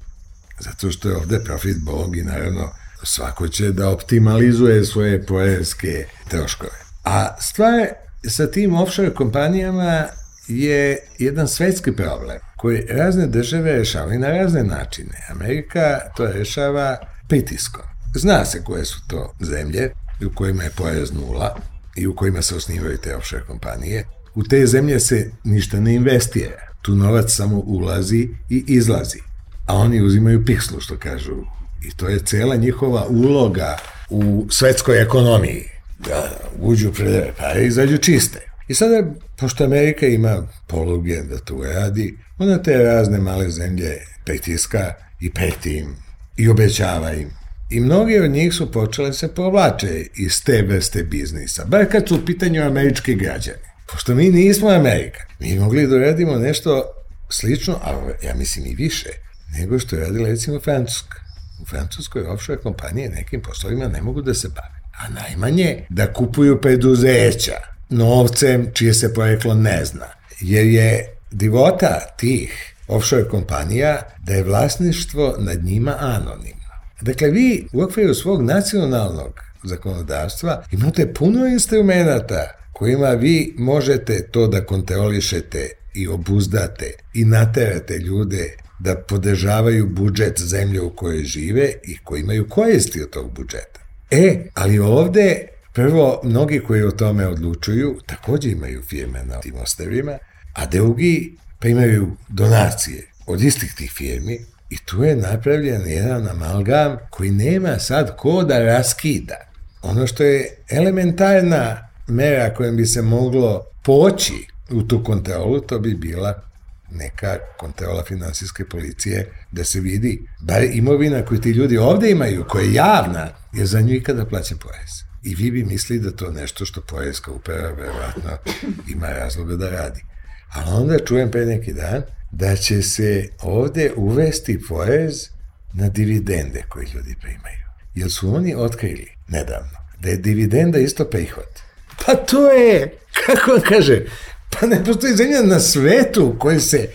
Zato što je ovde profit Bog i naravno svako će da optimalizuje svoje poreske troškove. A stvar sa tim offshore kompanijama je jedan svetski problem koji razne države rešavaju na razne načine. Amerika to rešava pritiskom. Zna se koje su to zemlje u kojima je porez nula i u kojima se osnivaju te offshore kompanije. U te zemlje se ništa ne investira. Tu novac samo ulazi i izlazi. A oni uzimaju pikslu, što kažu. I to je cela njihova uloga u svetskoj ekonomiji. Da uđu pred pare i izađu čiste. I sada, pošto Amerika ima poluge da to radi, ona te razne male zemlje pritiska i preti im i obećava im. I mnogi od njih su počele se povlače iz te vrste biznisa, bar kad su u pitanju američki građani. Pošto mi nismo Amerika, mi mogli da radimo nešto slično, a ja mislim i više, nego što je radila recimo Francuska. U Francuskoj offshore kompanije nekim poslovima ne mogu da se bave, a najmanje da kupuju preduzeća novcem čije se poreklo ne zna, jer je divota tih offshore kompanija da je vlasništvo nad njima anonimno. Dakle, vi u okviru svog nacionalnog zakonodavstva imate puno instrumenta kojima vi možete to da kontrolišete i obuzdate i naterate ljude da podržavaju budžet zemlje u kojoj žive i koji imaju koristi od tog budžeta. Ali ovde, prvo, mnogi koji o tome odlučuju takođe imaju firme na tim ostrvima, a drugi primaju donacije od istih tih firmi i tu je napravljen jedan amalgam koji nema sad ko da raskida. Ono što je elementarna mera kojom bi se moglo poći u tu kontrolu, to bi bila neka kontrola finansijske policije da se vidi, bar imovina koju ti ljudi ovde imaju, koja je javna, je za nju ikada plaća porez. I vi bi mislili da to nešto što porezka uprava verovatno ima razloga da radi. Ali onda čujem pre neki dan da će se ovde uvesti porez na dividende koje ljudi primaju. Jer su oni otkrili nedavno da je dividenda isto prihod. Pa to je, kako on kaže, pa ne postoji zemlja na svetu u kojoj se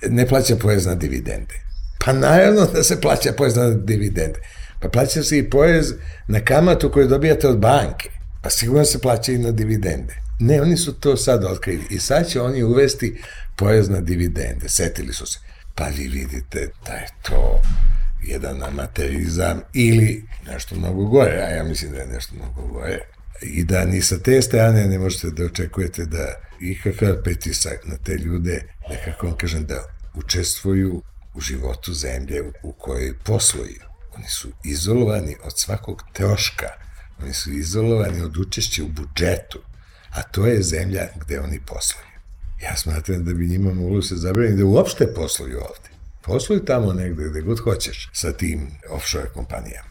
ne plaća porez na dividende. Pa naravno da se plaća porez na dividende. Pa plaća se i porez na kamatu koju dobijate od banke. Pa sigurno se plaća i na dividende. Ne, oni su to sad otkrili i sad će oni uvesti porez na dividende. Setili su se. Pa vi vidite da je to jedan amaterizam ili nešto mnogo gore, a ja mislim da je nešto mnogo gore. I da ni sa te strane ne možete da očekujete da ikakav pritisak na te ljude, nekako vam kažem, da učestvuju u životu zemlje u kojoj posluju. Oni su izolovani od svakog troška, oni su izolovani od učešća u budžetu, a to je zemlja gde oni posluju. Ja smatram da bi njima moglo se zabraniti da uopšte posluju ovde. Posluju tamo negde gde god hoćeš sa tim offshore kompanijama.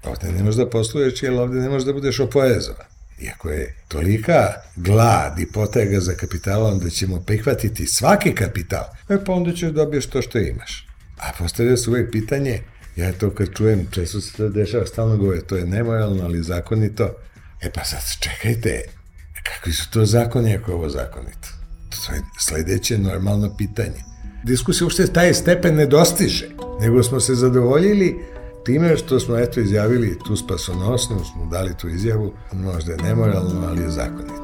Ovde ne možeš da posluješ, jer ovde ne možeš da budeš oporezovan. Iako je tolika glad i potrega za kapitalom da ćemo prihvatiti svaki kapital, pa onda ćeš dobiješ to što imaš. A postavlja se uvek pitanje, ja to kad čujem, često se to dešava, stalno govore, to je nemoralno, ali zakonito. Pa sad čekajte, kakvi su to zakoni ako je ovo zakonito? To je sledeće normalno pitanje. Diskusija uopšte taj stepen ne dostiže, nego smo se zadovoljili time što smo izjavili tu spasonosnu, smo dali tu izjavu, možda je nemoralno, ali je zakonito.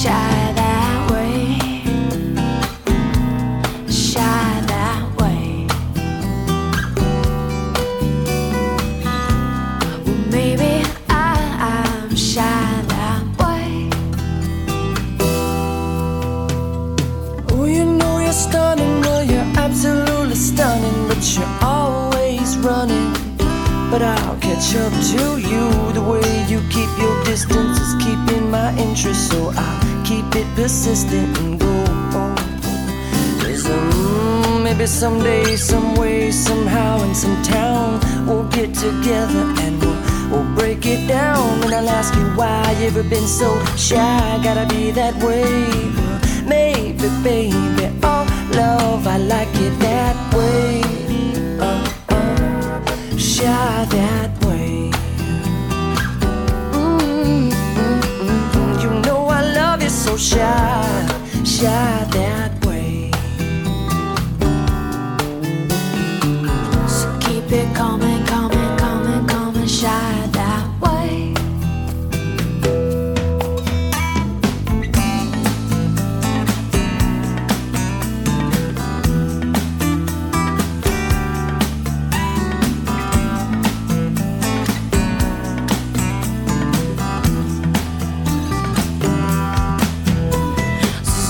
Shy but I'll catch up to you. The way you keep your distance is keeping my interest, so I'll keep it persistent and go. Maybe someday, some way, somehow, in some town, we'll get together and we'll break it down. And I'll ask you why you ever been so shy. Gotta be that way. Maybe, baby, oh love, I like it that way. Shy that way. You know I love you so shy, shy that way. So keep it coming, coming, coming, coming, shy that way.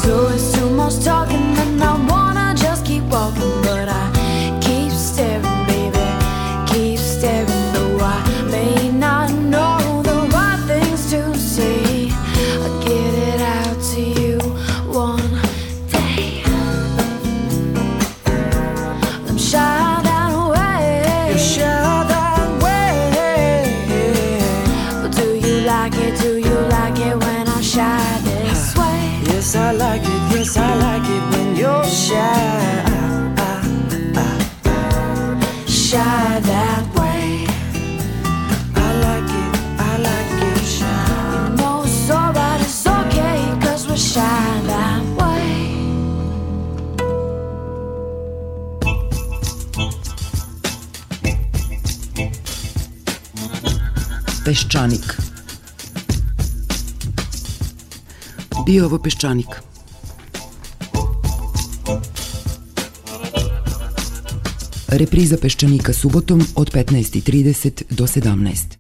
So it's too much talking and I wanna just keep walking, but I keep staring, baby, keep staring. Though I may not know the right things to say, I'll get it out to you one day. I'm shy that way. You're shy that way. But do you like it? Do you like it when I shy this way? Yes, I like it, yes, I like it when you're shy. Shy that way. I like it shy. You know it's alright, it's okay, 'cause we're shy that way. Peščanik. Bio ovo Peščanik. Repriza Peščanika subotom od 15:30 do 17.